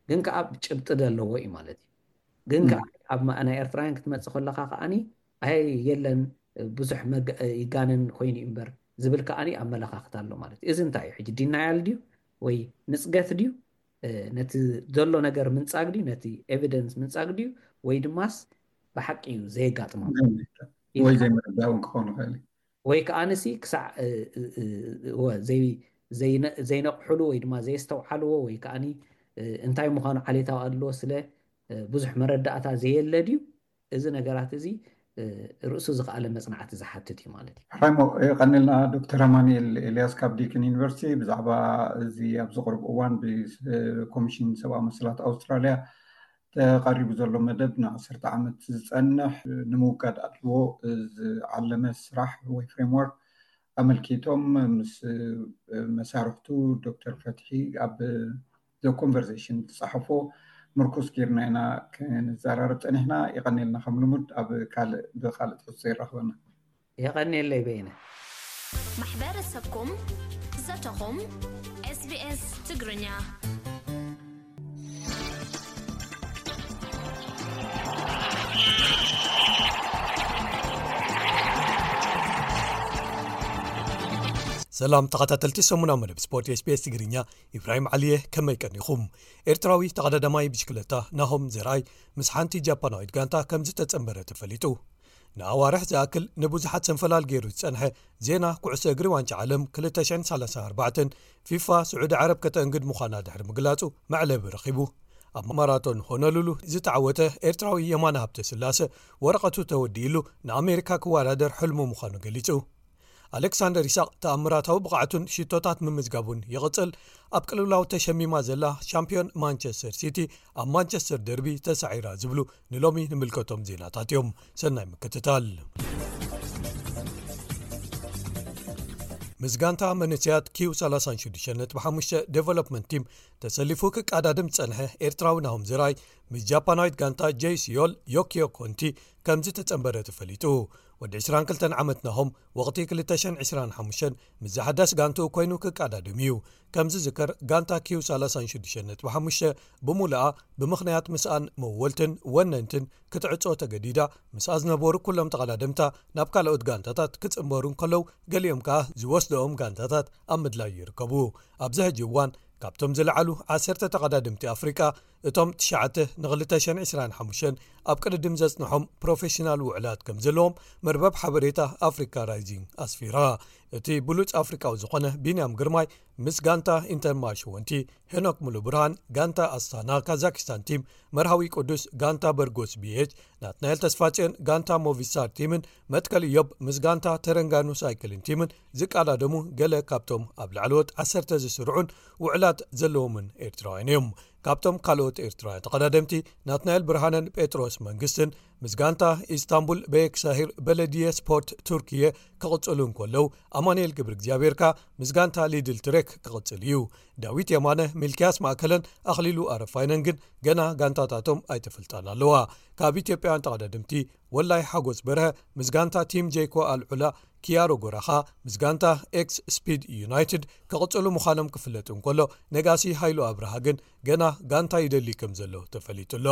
ግን ከዓ ጭብጢ ዘለዎ እዩ ማለት እዩ። ግን ከዓ ኣብ ናይ ኤርትራውያን ክትመፅእ ከለካ ከዓኒ ኣይ የለን ብዙሕ ይጋነን ኮይኑ እምበር ዝብል ከዓኒ ኣመለካክታ ኣሎ ማለት እዩ። እዚ እንታይ እዩ ሕጂ ዲናያል ድዩ ወይ ንፅገት ድዩ ነቲ ዘሎ ነገር ምንፃግ ድዩ ነቲ ኤቪደንስ ምንፃግ ድዩ ወይ ድማስ ብሓቂ እዩ ዘየጋጥሞ ወይ ዘይምርዳእ እውን ክኸውን ይኽእል እዩ። ወይ ከዓንሲ ክሳዕ ዘይ ዘይነ- ዘይነቕሕሉ ወይ ድማ ዘየስተውዓልዎ ወይ ከዓኒ እንታይ ምዃኑ ዓሌታዊ ኣድልዎ ስለ ብዙሕ መረዳእታ ዘየለ ድዩ? እዚ ነገራት እዚ ርእሱ ዝኸኣለ መፅናዕቲ ዝሓትት እዩ ማለት እዩ። ሕራይሞ፣ የቐንልና ዶክተር ኣማኑኤል ኤልያስ ካብ ዲክን ዩኒቨርሲቲ። ብዛዕባ እዚ ኣብዚ ቅርብ እዋን ብኮሚሽን ሰብኣዊ መሰላት ኣውስትራልያ ተቐሪቡ ዘሎ መደብ ንዓሰርተ ዓመት ዝፀንሕ ንምውጋድ ኣድልዎ ዝዓለመ ስራሕ ወይ ፍሬምወርክ ኣመልኪቶም ምስ መሳርሕቱ ዶክተር ፈትሒ ኣብ ዘ ኮንቨርሴሽን ዝፀሓፎ ምርኩስ ጌርና ኢና ክንዘራረብ ፀኒሕና። ይቐኒልና። ከም ልሙድ ኣብ ካልእ ብካልእ ትሕዝቶ ይራኽበና። የቐኒየለይ በይነ። ማሕበረሰብኩም ዘተኹም ኤስቢኤስ ትግርኛ። ሰላም ተኸታተልቲ ሰሙናዊ መደብ ስፖርት ኤስቢኤስ ትግርኛ፣ ኢብራሂም ዓሊየ። ከመይ ቀኒኹም? ኤርትራዊ ተቐዳዳማይ ብሽክለታ ናሆም ዘርኣይ ምስ ሓንቲ ጃፓናዊት ጋንታ ከም ዝተጸንበረ ተፈሊጡ። ንኣዋርሕ ዝኣክል ንብዙሓት ሰንፈላል ገይሩ ዝጸንሐ ዜና ኩዕሶ እግሪ ዋንጫ ዓለም ክልተ ሽሕን ሰላሳን ኣርባዕተን ፊፋ ስዑዲ ዓረብ ከተእንግድ ምዃና ድሕሪ ምግላጹ መዕለቢ ረኺቡ። ኣብ ማራቶን ሆኖሉሉ ዝተዓወተ ኤርትራዊ የማነ ሃብተ ስላሰ ወረቐቱ ተወዲእሉ ንኣሜሪካ ክወዳደር ሕልሙ ምዃኑ ገሊጹ። ኣሌክሳንደር ይስሐቅ ተኣምራታዊ ብቕዓቱን ሽቶታት ምምዝጋቡን ይቕጽል። ኣብ ቅልውላው ተሸሚማ ዘላ ሻምፒዮን ማንቸስተር ሲቲ ኣብ ማንቸስተር ደርቢ ተሳዒራ ዝብሉ ንሎሚ ንምልከቶም ዜናታት እዮም። ሰናይ ምክትታል። ምስ ጋንታ መንእሰያት ኪው ሰላሳን ሽዱሽተን ነጥቢ ሓሙሽተ ዴቨሎፕመንት ቲም ተሰሊፉ ክቃዳድም ዝጸንሐ ኤርትራዊ ናሆም ዘርኣይ ምስ ጃፓናዊት ጋንታ ጄይ ሲዮል ዮኪዮ ኮንቲ ከም ዝተጸንበረ ተፈሊጡ። ወዲ ዕስራን ክልተን ዓመት ናሆም ወቕቲ ክልተ ሽሕን ዕስራን ሓሙሽተን ምስ ዝሓዳስ ጋንትኡ ኮይኑ ክቃዳድም እዩ። ከም ዝዝከር ጋንታ ኪው ሰላሳን ሽዱሽተን ነጥቢ ሓሙሽተ ብሙሉኣ ብምኽንያት ምስኣን መወልትን ወነንትን ክትዕጾ ተገዲዳ። ምስኣ ዝነበሩ ኩሎም ተቐዳደምታ ናብ ካልኦት ጋንታታት ክጽንበሩ እንከለዉ ገሊኦም ከኣ ዝወስደኦም ጋንታታት ኣብ ምድላይ ይርከቡ። ኣብዚ ሕጂ እዋን ካብቶም ዝለዓሉ ዓሰርተ ተቐዳደምቲ ኣፍሪቃ እቶም ትሽዓተ ንክልተ ሽሕን ዕስራን ሓሙሽተን ኣብ ቅድድም ዘጽንሖም ፕሮፌሽናል ውዕላት ከም ዘለዎም መርበብ ሓበሬታ ኣፍሪካ ራይዚንግ ኣስፊራ። እቲ ብሉጽ ኣፍሪቃዊ ዝኾነ ቢንያም ግርማይ ምስ ጋንታ ኢንተርማርሽ ወንቲ፣ ሄኖክ ሙሉ ብርሃን ጋንታ ኣስታና ካዛኪስታን ቲም፣ መርሃዊ ቅዱስ ጋንታ በርጎስ ቢኤች፣ ናትናኤል ተስፋጽዮን ጋንታ ሞቪስታር ቲምን መትከል እዮብ ምስ ጋንታ ተረንጋኑ ሳይክልን ቲምን ዝቃዳደሙ ገለ ካብቶም ኣብ ላዕለዎት ዓሰርተ ዝስርዑን ውዕላት ዘለዎምን ኤርትራውያን እዮም። ካብቶም ካልኦት ኤርትራውያን ተቐዳደምቲ ናትናኤል ብርሃነን ጴጥሮስ መንግስትን ምስ ጋንታ ኢስታንቡል በየክሳሂር በለድየ ስፖርት ቱርክየ ክቕጽሉ እንከለዉ፣ ኣማኑኤል ገብረ እግዚኣብሔር ከኣ ምስ ጋንታ ሊድል ትሬክ ክቕጽል እዩ። ዳዊት የማነ፣ ሚልክያስ ማእከለን ኣኽሊሉ ኣረፋይነን ግን ገና ጋንታታቶም ኣይተፈልጣን ኣለዋ። ካብ ኢትዮጵያውያን ተቐዳደምቲ ወላይ ሓጎስ በርሀ ምስ ጋንታ ቲም ጄይኮ ኣልዑላ፣ ኪያሮ ጎራኻ ምስ ጋንታ ኤክስ ስፒድ ዩናይትድ ክቕጽሉ ምዃኖም ክፍለጥ እንከሎ፣ ነጋሲ ሃይሉ ኣብርሃ ግን ገና ጋንታ ይደሊ ከም ዘሎ ተፈሊጡ ኣሎ።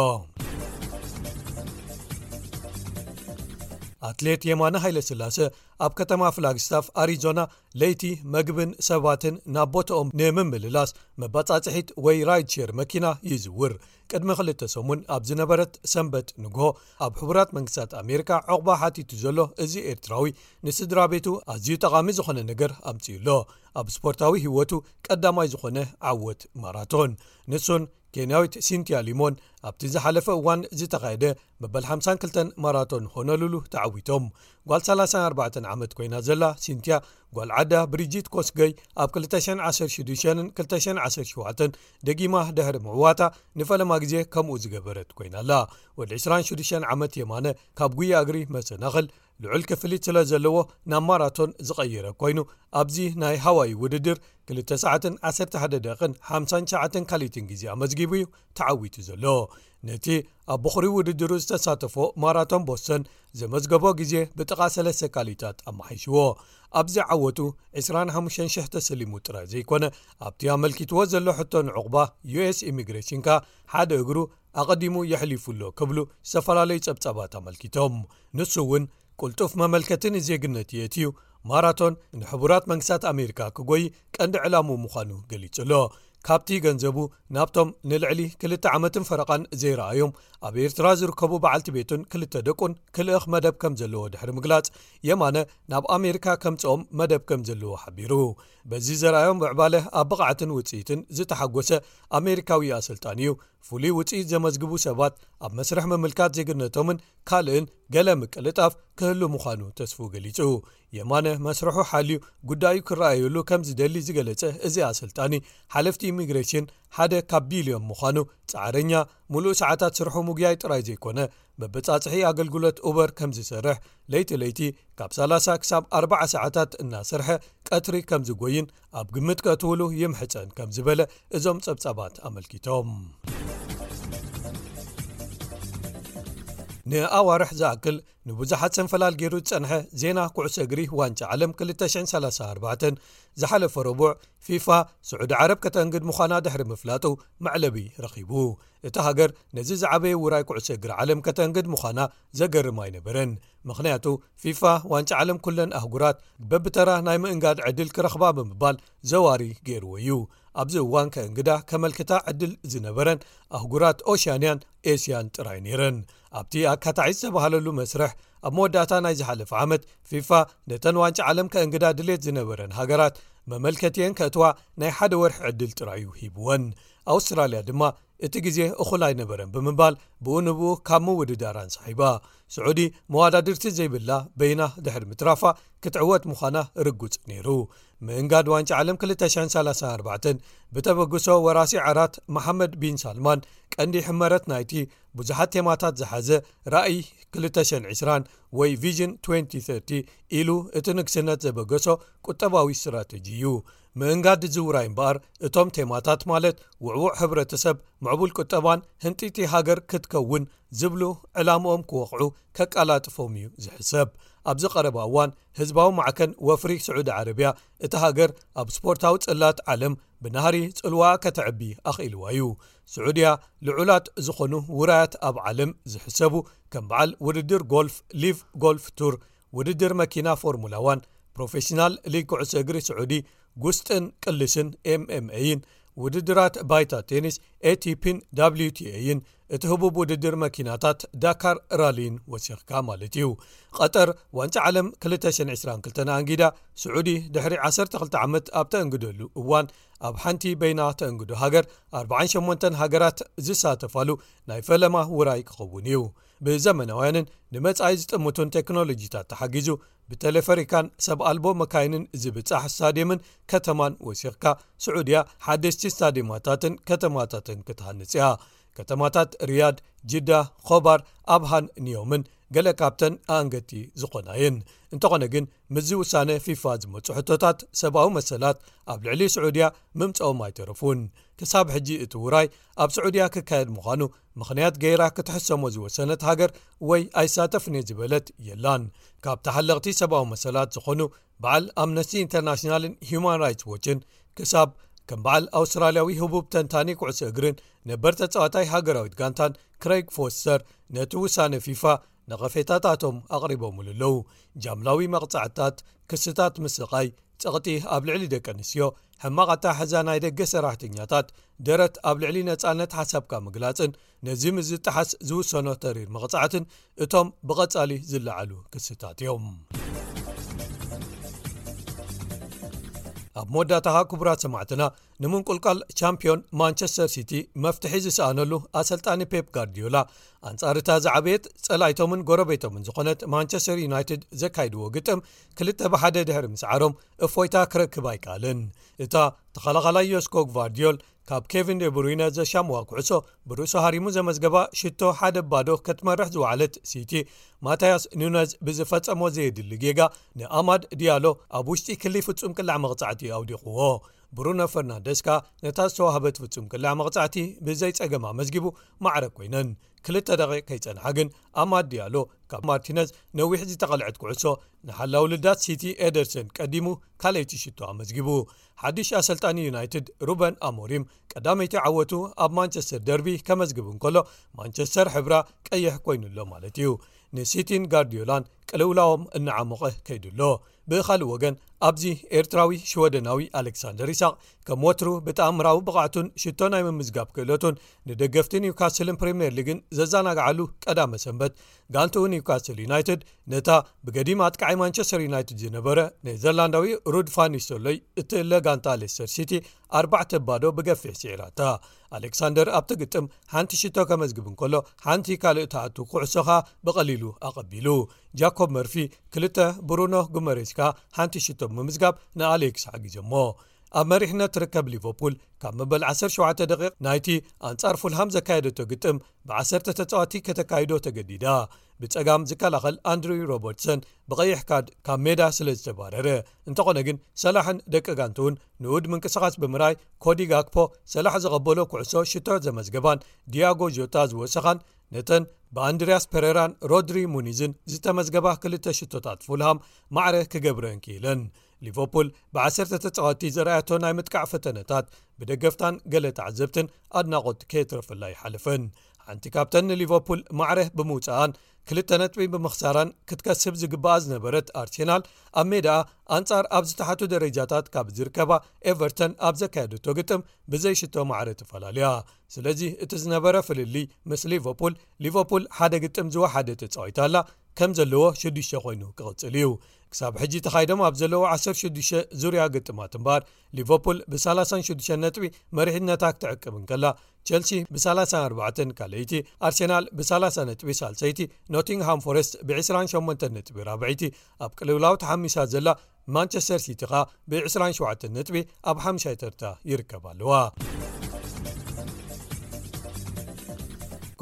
ኣትሌት የማነ ሃይለስላሰ ኣብ ከተማ ፍላግስታፍ ኣሪዞና ለይቲ መግብን ሰባትን ናብ ቦታኦም ንምምልላስ መባጻጽሒት ወይ ራይድ ሼር መኪና ይዝውር። ቅድሚ ክልተ ሰሙን ኣብ ዝነበረት ሰንበት ንግሆ ኣብ ሕቡራት መንግስታት ኣሜሪካ ዕቑባ ሓቲቱ ዘሎ እዚ ኤርትራዊ ንስድራ ቤቱ ኣዝዩ ጠቓሚ ዝኾነ ነገር ኣምጺኡ ኣሎ። ኣብ ስፖርታዊ ህይወቱ ቀዳማይ ዝኾነ ዓወት ማራቶን። ንሱን ኬንያዊት ሲንቲያ ሊሞን ኣብቲ ዝሓለፈ እዋን ዝተኻየደ መበል ሓምሳን ክልተን ማራቶን ሆኖሉሉ ተዓዊቶም። ጓል ሰላሳን ኣርባዕተን ዓመት ኮይና ዘላ ሲንቲያ ጓል ዓዳ ብሪጂት ኮስገይ ኣብ ክልተ ሽሕን ዓሰርተ ሽዱሽተን ክልተ ሽሕን ዓሰርተ ሸውዓተን ደጊማ ድሕሪ ምዕዋታ ንፈለማ ግዜ ከምኡ ዝገበረት ኮይና ኣላ። ወዲ ዕስራን ሽዱሽተን ዓመት የማነ ካብ ጉያ እግሪ መሰናኽል ልዑል ክፍሊት ስለ ዘለዎ ናብ ማራቶን ዝቐየረ ኮይኑ ኣብዚ ናይ ሃዋይ ውድድር ክልተ ሰዓትን ዓሰርተ ሓደ ደቂቕን ሓምሳን ትሽዓተን ካልኢትን ግዜ ኣመዝጊቡ እዩ ተዓዊቱ ዘሎ። ነቲ ኣብ በኹሪ ውድድሩ ዝተሳተፎ ማራቶን ቦስተን ዘመዝገቦ ግዜ ብጥቓ ሰለስተ ካልኢታት ኣመሓይሽዎ። ኣብዚ ዓወቱ ዕስራን ሓሙሽተን ሽሕ ተሰሊሙ ጥራይ ዘይኮነ ኣብቲ ኣመልኪትዎ ዘሎ ሕቶ ንዕቑባ ዩ ኤስ ኢሚግሬሽን ከኣ ሓደ እግሩ ኣቐዲሙ የሕሊፉ ኣሎ ክብሉ ዝተፈላለዩ ጸብጻባት ኣመልኪቶም። ንሱ እውን ቅልጡፍ መመልከቲ ንዜግነት የእትዩ ማራቶን ንሕቡራት መንግስታት ኣሜሪካ ክጎይ ቀንዲ ዕላምኡ ምዃኑ ገሊጹ ኣሎ። ካብቲ ገንዘቡ ናብቶም ንልዕሊ ክልተ ዓመትን ፈረቓን ዘይረኣዮም ኣብ ኤርትራ ዝርከቡ በዓልቲ ቤቱን ክልተ ደቁን ክልእኽ መደብ ከም ዘለዎ ድሕሪ ምግላጽ፣ የማነ ናብ ኣሜሪካ ከምጽኦም መደብ ከም ዘለዎ ሓቢሩ። በዚ ዘርኣዮም ምዕባለ ኣብ ብቕዓትን ውጽኢትን ዝተሓጎሰ ኣሜሪካዊ ኣሰልጣኒ እዩ። ፍሉይ ውጽኢት ዘመዝግቡ ሰባት ኣብ መስርሕ ምምልካት ዜግነቶምን ካልእን ገለ ምቅልጣፍ ክህሉ ምዃኑ ተስፉ ገሊጹ። የማነ መስርሑ ሓልዩ ጉዳዩ ክረኣየሉ ከም ዝደሊ ዝገለጸ እዚ ኣሰልጣኒ፣ ሓለፍቲ ኢሚግሬሽን ሓደ ካብ ቢልዮን ምዃኑ፣ ጻዕረኛ፣ ሙሉእ ሰዓታት ስርሑ ምጉያይ ጥራይ ዘይኮነ፣ መበጻጽሒ ኣገልግሎት ኡበር ከም ዝሰርሕ፣ ለይቲ ለይቲ ካብ ሰላሳ ክሳብ ኣርባዓ ሰዓታት እናሰርሐ ቀትሪ ከም ዝጎይን ኣብ ግምት ከእትውሉ ይምሕጸን ከም ዝበለ እዞም ጸብጻባት ኣመልኪቶም። ንኣዋርሕ ዝኣክል ንብዙሓት ሰንፈላል ገይሩ ዝጸንሐ ዜና ኩዕሶ እግሪ ዋንጫ ዓለም ክልተ ሽሕን ሰላሳን ኣርባዕተን ዝሓለፈ ረቡዕ ፊፋ ስዑዲ ዓረብ ከተንግድ ምዃና ድሕሪ ምፍላጡ መዕለቢ ረኺቡ። እታ ሃገር ነዚ ዝዓበየ ውራይ ኩዕሶ እግሪ ዓለም ከተንግድ ምዃና ዘገርም ኣይነበረን። ምኽንያቱ ፊፋ ዋንጫ ዓለም ኩለን ኣህጉራት በብተራ ናይ ምእንጋድ ዕድል ክረኽባ ብምባል ዘዋሪ ገይርዎ እዩ። ኣብዚ እዋን ከእንግዳ ከመልክታ ዕድል ዝነበረን ኣህጉራት ኦሽያንያን ኤስያን ጥራይ ነይረን። ኣብቲ ኣካታዒ ዝተባህለሉ መስርሕ ኣብ መወዳእታ ናይ ዝሓለፈ ዓመት ፊፋ ነተን ዋንጫ ዓለም ከእንግዳ ድሌት ዝነበረን ሃገራት መመልከቲየን ከእትዋ ናይ ሓደ ወርሒ ዕድል ጥራይ እዩ ሂብወን። ኣውስትራልያ ድማ እቲ ግዜ እኹል ኣይነበረን ብምባል ብኡ ንብኡ ካብ ምውድዳር ኣንሳሒባ። ስዑዲ መዋዳድርቲ ዘይብላ በይና ድሕሪ ምትራፋ ክትዕወት ምዃና ርጉጽ ነይሩ። ምእንጋድ ዋንጫ ዓለም ክልተ ሽሕን ሰላሳን ኣርባዕተን ብተበግሶ ወራሲ ዓራት መሓመድ ቢን ሳልማን ቀንዲ ሕመረት ናይቲ ብዙሓት ቴማታት ዝሓዘ ራእይ ክልተ ሽሕን ዕስራን ወይ ቪዥን ትወንቲ ተርቲ ኢሉ እቲ ንግስነት ዘበገሶ ቁጠባዊ ስትራተጂ እዩ። ምእንጋድ ዝውራይ እምበኣር እቶም ቴማታት ማለት ውዕዉዕ ሕብረተሰብ፣ ምዕቡል ቁጠባን ህንጢቲ ሃገር ክትከውን ዝብሉ ዕላምኦም ክወቕዑ ከቀላጥፎም እዩ ዝሕሰብ። ኣብዚ ቀረባ እዋን ህዝባዊ ማዕከን ወፍሪ ስዑዲ ዓረብያ እታ ሃገር ኣብ ስፖርታዊ ጽላት ዓለም ብናህሪ ጽልዋኣ ከተዕቢ ኣኽኢልዋ እዩ። ስዑድያ ልዑላት ዝኾኑ ውራያት ኣብ ዓለም ዝሕሰቡ ከም በዓል ውድድር ጎልፍ ሊቭ ጎልፍ ቱር፣ ውድድር መኪና ፎርሙላ ዋን፣ ፕሮፌሽናል ሊግ ኩዕሶ እግሪ ስዑዲ፣ ጉስጥን ቅልስን ኤምኤምኤይን፣ ውድድራት ባይታ ቴኒስ ኤቲፒን ዳብሊዩቲኤይን፣ እቲ ህቡብ ውድድር መኪናታት ዳካር ራሊን ወሲኽካ ማለት እዩ። ቀጠር ዋንጫ ዓለም ክልተ ሽሕን ዕስራን ክልተን ኣንጊዳ ስዑዲ ድሕሪ ዓሰርተ ክልተ ዓመት ኣብ ተእንግደሉ እዋን ኣብ ሓንቲ በይና ተእንግዶ ሃገር ኣርባዓን ሸሞንተን ሃገራት ዝሳተፋሉ ናይ ፈለማ ውራይ ክኸውን እዩ። ብዘመናውያንን ንመጻኢ ዝጥምቱን ቴክኖሎጂታት ተሓጊዙ ብቴሌፈሪካን ሰብ ኣልቦ መካይንን ዝብጻሕ ስታድየምን ከተማን ወሲኽካ ስዑድያ ሓደሽቲ ስታድየማታትን ከተማታትን ክትሃንጽ እያ። ከተማታት ሪያድ፣ ጅዳ፣ ኾባር፣ ኣብሃን ኒዮምን ገለ ካብተን ኣንገቲ ዝኾና እየን። እንተኾነ ግን ምስዚ ውሳነ ፊፋ ዝመጹ ሕቶታት ሰብኣዊ መሰላት ኣብ ልዕሊ ስዑድያ ምምጽኦም ኣይተረፉን። ክሳብ ሕጂ እቲ ውራይ ኣብ ስዑድያ ክካየድ ምዃኑ ምኽንያት ገይራ ክትሕሰሞ ዝወሰነት ሃገር ወይ ኣይሳተፍን እየ ዝበለት የላን። ካብ ተሓለቕቲ ሰብኣዊ መሰላት ዝኾኑ በዓል ኣምነስቲ ኢንተርናሽናልን ሂዩማን ራይትስ ዎችን ክሳብ ከም በዓል ኣውስትራልያዊ ህቡብ ተንታኒ ኩዕሶ እግርን ነበር ተጻዋታይ ሃገራዊት ጋንታን ክረይግ ፎስተር ነቲ ውሳነ ፊፋ ነቐፌታታቶም ኣቕሪቦምሉ ኣለዉ። ጃምላዊ መቕጻዕትታት፣ ክስታት ምስቓይ፣ ጸቕጢ ኣብ ልዕሊ ደቂ ኣንስትዮ፣ ሕማቕ ኣተሓሕዛ ናይ ደገ ሰራሕተኛታት፣ ደረት ኣብ ልዕሊ ነጻነት ሓሳብካ ምግላጽን ነዚ ምስ ዝጠሓስ ዝውሰኖ ተሪር መቕጻዕትን እቶም ብቐጻሊ ዝለዓሉ ክስታት እዮም። ኣብ መወዳእታ ክቡራት ሰማዕትና፣ ንምንቁልቋል ቻምፒዮን ማንቸስተር ሲቲ መፍትሒ ዝሰኣነሉ ኣሰልጣኒ ፔፕ ጋርዲዮላ ኣንጻር እታ ዝዓበየት ጸላይቶምን ጎረቤቶምን ዝኾነት ማንቸስተር ዩናይትድ ዘካይድዎ ግጥም ክልተ ብሓደ ድሕሪ ምስዓሮም እፎይታ ክረክብ ኣይከኣለን። እታ ተኸላኻላይ ዮስኮ ግቫርዲዮል ካብ ኬቪን ዴብሩይነ ዘሻምዋ ኩዕሶ ብርእሱ ሃሪሙ ዘመዝገባ ሽቶ ሓደ ባዶ ክትመርሕ ዝወዓለት ሲቲ፣ ማታያስ ኑነዝ ብዝፈጸሞ ዘየድሊ ጌጋ ንኣማድ ዲያሎ ኣብ ውሽጢ ክሊ ፍጹም ቅላዕ መቕጻዕቲ ኣውዲቕዎ። ብሩኖ ፈርናንደስ ከኣ ነታ ዝተዋህበት ፍጹም ቅላዕ መቕጻዕቲ ብዘይ ጸገም ኣመዝጊቡ ማዕረ ኮይነን። ክልተ ደቂቕ ከይጸንሓ ግን ኣማድ ዲያሎ ካብ ማርቲነዝ ነዊሕ ዝተቐልዐት ኩዕሶ ንሓላው ልዳት ሲቲ ኤደርሰን ቀዲሙ ካልኣይቲ ሽቶ ኣመዝጊቡ። ሓድሽ ኣሰልጣኒ ዩናይትድ ሩበን ኣሞሪም ቀዳመይቲ ዓወቱ ኣብ ማንቸስተር ደርቢ ከመዝግብ እንከሎ፣ ማንቸስተር ሕብራ ቀይሕ ኮይኑሎ ማለት እዩ። ንሲቲን ጋርዲዮላን ቅልውላዎም እናዓሞቐ ከይዱሎ። ብኻልእ ወገን ኣብዚ ኤርትራዊ ሽወደናዊ ኣሌክሳንደር ይስሐቅ ከም ወትሩ ብተኣምራዊ ብቕዓቱን ሽቶ ናይ ምምዝጋብ ክእለቱን ንደገፍቲ ኒውካስልን ፕሪምየር ሊግን ዘዘናግዓሉ ቀዳመ ሰንበት፣ ጋንትኡ ኒውካስል ዩናይትድ ነታ ብገዲም ኣጥቃዓይ ማንቸስተር ዩናይትድ ዝነበረ ኔዘርላንዳዊ ሩድ ፋን ኒስተርሎይ እትእለ ጋንታ ሌስተር ሲቲ ኣርባዕተ ባዶ ብገፊሕ ስዒራታ። ኣሌክሳንደር ኣብቲ ግጥም ሓንቲ ሽቶ ከመዝግብ እንከሎ፣ ሓንቲ ካልእ ትኣቱ ኩዕሶ ከኣ ብቐሊሉ ኣቐቢሉ። ጃኮብ መርፊ ክልተ፣ ብሩኖ ጉመሬስ ከኣ ሓንቲ ሽቶ ብምምዝጋብ ንኣሌክስ ሓጊዞሞ። ኣብ መሪሕነት ትርከብ ሊቨርፑል ካብ መበል ዓሰርተ ሸውዓተ ደቂቕ ናይቲ ኣንጻር ፉልሃም ዘካየደቶ ግጥም ብዓሰርተ ተጻዋቲ ከተካይዶ ተገዲዳ። ብጸጋም ዝከላኸል ኣንድሪው ሮበርትሰን ብቐይሕ ካርድ ካብ ሜዳ ስለ ዝተባረረ። እንተኾነ ግን ሰላሕን ደቂ ጋንትኡን ንኡድ ምንቅስቓስ ብምርኣይ፣ ኮዲ ጋክፖ ሰላሕ ዘቐበሎ ኩዕሶ ሽቶ ዘመዝገባን ዲያጎ ጆታ ዝወሰኻን፣ ነተን ብኣንድሪያስ ፔሬራን ሮድሪ ሙኒዝን ዝተመዝገባ ክልተ ሽቶታት ፉልሃም ማዕረ ክገብረን ክኢለን። ሊቨርፑል ብዓሰርተ ተጻወትቲ ዘርኣያቶ ናይ ምጥቃዕ ፈተነታት ብደገፍታን ገለ ተዓዘብትን ኣድናቖት ከየትረፈላ ይሓለፈን። ሓንቲ ካብተን ንሊቨርፑል ማዕረ ብምውጽኣን ክልተ ነጥቢ ብምኽሳራን ክትከስብ ዝግባኣ ዝነበረት ኣርሴናል፣ ኣብ ሜዳኣ ኣንጻር ኣብ ዝተሓቱ ደረጃታት ካብ ዝርከባ ኤቨርተን ኣብ ዘካየደቶ ግጥም ብዘይ ሽቶ ማዕረ ተፈላልያ። ስለዚ እቲ ዝነበረ ፍልልይ ምስ ሊቨርፑል፣ ሊቨርፑል ሓደ ግጥም ዝወሓደ ተጻዊታ ኣላ፣ ከም ዘለዎ ሽዱሽተ ኮይኑ ክቕጽል እዩ። ክሳብ ሕጂ ተኻይዶም ኣብ ዘለዉ ዓሰርተ ሽዱሽተ ዙርያ ግጥማት እምበኣር፣ ሊቨርፑል ብ ሰላሳን ሽዱሽተን ነጥቢ መሪሕነታ ክትዕቅብ እንከላ፣ ቸልሲ ብ ሰላሳን ኣርባዕተን ካልኣይቲ፣ ኣርሴናል ብ ሰላሳ ነጥቢ ሳልሰይቲ፣ ኖቲንግሃም ፎረስት ብ ዕስራን ሸሞንተን ነጥቢ ራብዐይቲ፣ ኣብ ቅልውላው ተሓሚሳ ዘላ ማንቸስተር ሲቲ ኸኣ ብ ዕስራን ሸውዓተን ነጥቢ ኣብ ሓምሻይ ተርታ ይርከባ ኣለዋ።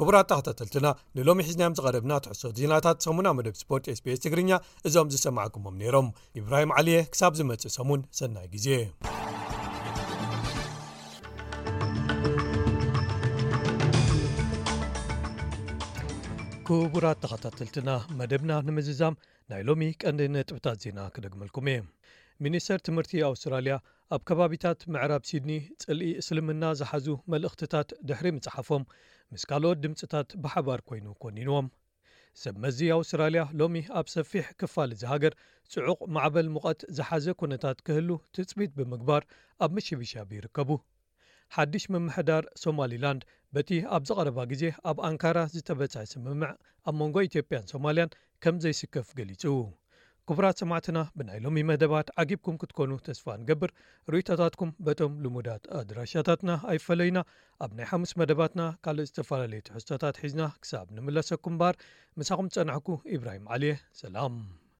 ክቡራት ተኸታተልትና፣ ንሎሚ ሒዝናዮም ዝቐረብና ትሕዝቶ ዜናታት ሰሙና መደብ ስፖርት ኤስቢኤስ ትግርኛ እዞም ዝሰማዕኩሞም ነይሮም። ኢብራሂም ዓሊየ፣ ክሳብ ዝመጽእ ሰሙን ሰናይ ግዜ። ክቡራት ተኸታተልትና፣ መደብና ንምዝዛም ናይ ሎሚ ቀንዲ ነጥብታት ዜና ክደግመልኩም እየ። ሚኒስተር ትምህርቲ ኣውስትራልያ ኣብ ከባቢታት ምዕራብ ሲድኒ ጽልኢ እስልምና ዝሓዙ መልእኽትታት ድሕሪ ምጽሓፎም፣ ምስ ካልኦት ድምጽታት ብሓባር ኮይኑ ኮኒንዎም። ሰብ መዚ ኣውስትራልያ ሎሚ ኣብ ሰፊሕ ክፋል እዚ ሃገር ጽዑቕ ማዕበል ሙቐት ዝሓዘ ኩነታት ክህሉ ትጽቢት ብምግባር ኣብ ምሽብሻብ ይርከቡ። ሓድሽ ምምሕዳር ሶማሊላንድ በቲ ኣብ ዝቐረባ ግዜ ኣብ ኣንካራ ዝተበጽሐ ስምምዕ ኣብ መንጎ ኢትዮጵያን ሶማልያን ከም ዘይስከፍ ገሊጹ። ክቡራት ሰማዕትና፣ ብናይ ሎሚ መደባት ዓጊብኩም ክትኮኑ ተስፋ ንገብር። ርእይቶታትኩም በቶም ልሙዳት ኣድራሻታትና ኣይፈለዩና። ኣብ ናይ ሓሙስ መደባትና ካልእ ዝተፈላለዩ ትሕዝቶታት ሒዝና ክሳብ ንምለሰኩም እምበኣር፣ ምሳኹም ዝጸናሕኩ ኢብራሂም ዓሊየ። ሰላም።